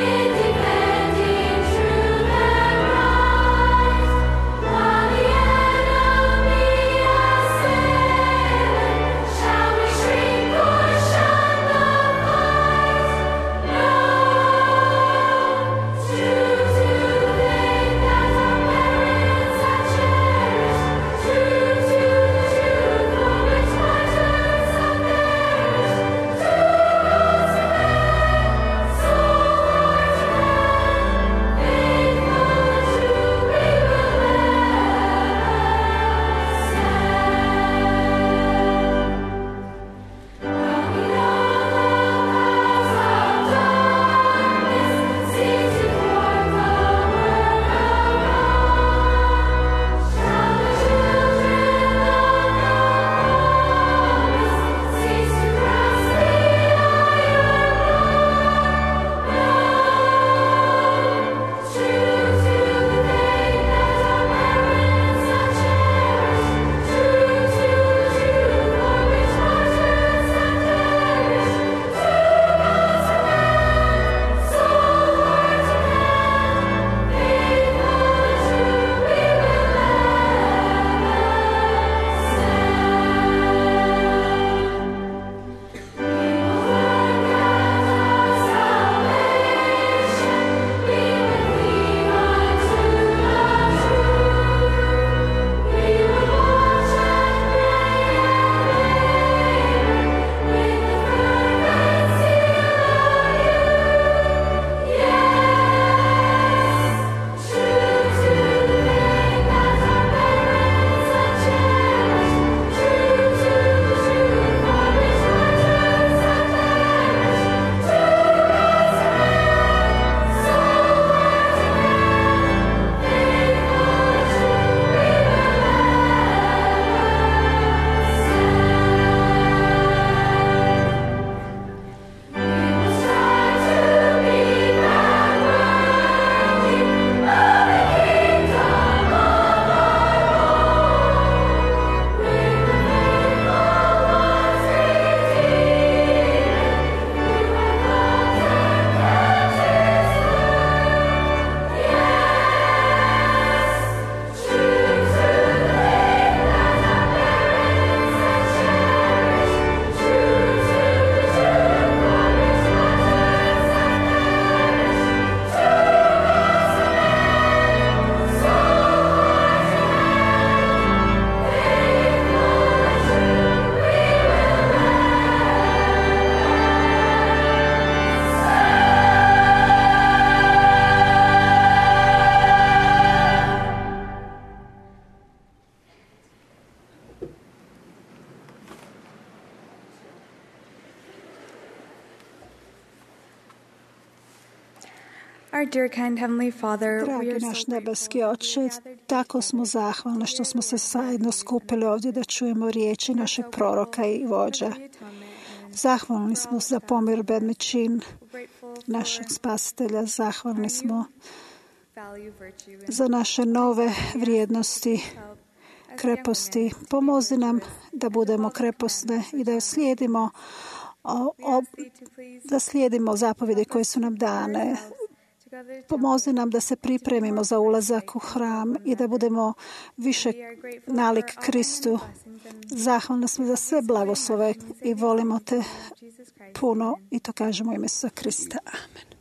Independent Our dear kind Heavenly Father, we Dragi are naš so nebeski Oče, tako smo zahvalni što smo se zajedno skupili ovdje da čujemo riječi našeg proroka i vođa. Zahvalni smo za pomirbedni čin našeg spasitelja. Zahvalni smo za naše nove vrijednosti, kreposti. Pomozi nam da budemo kreposne i da slijedimo, o, o, da slijedimo zapovjede koje su nam dane. Pomozi nam da se pripremimo za ulazak u hram i da budemo više nalik Kristu. Zahvalni smo za sve blagoslove i volimo te puno i to kažemo u ime Isusa Krista. Amen.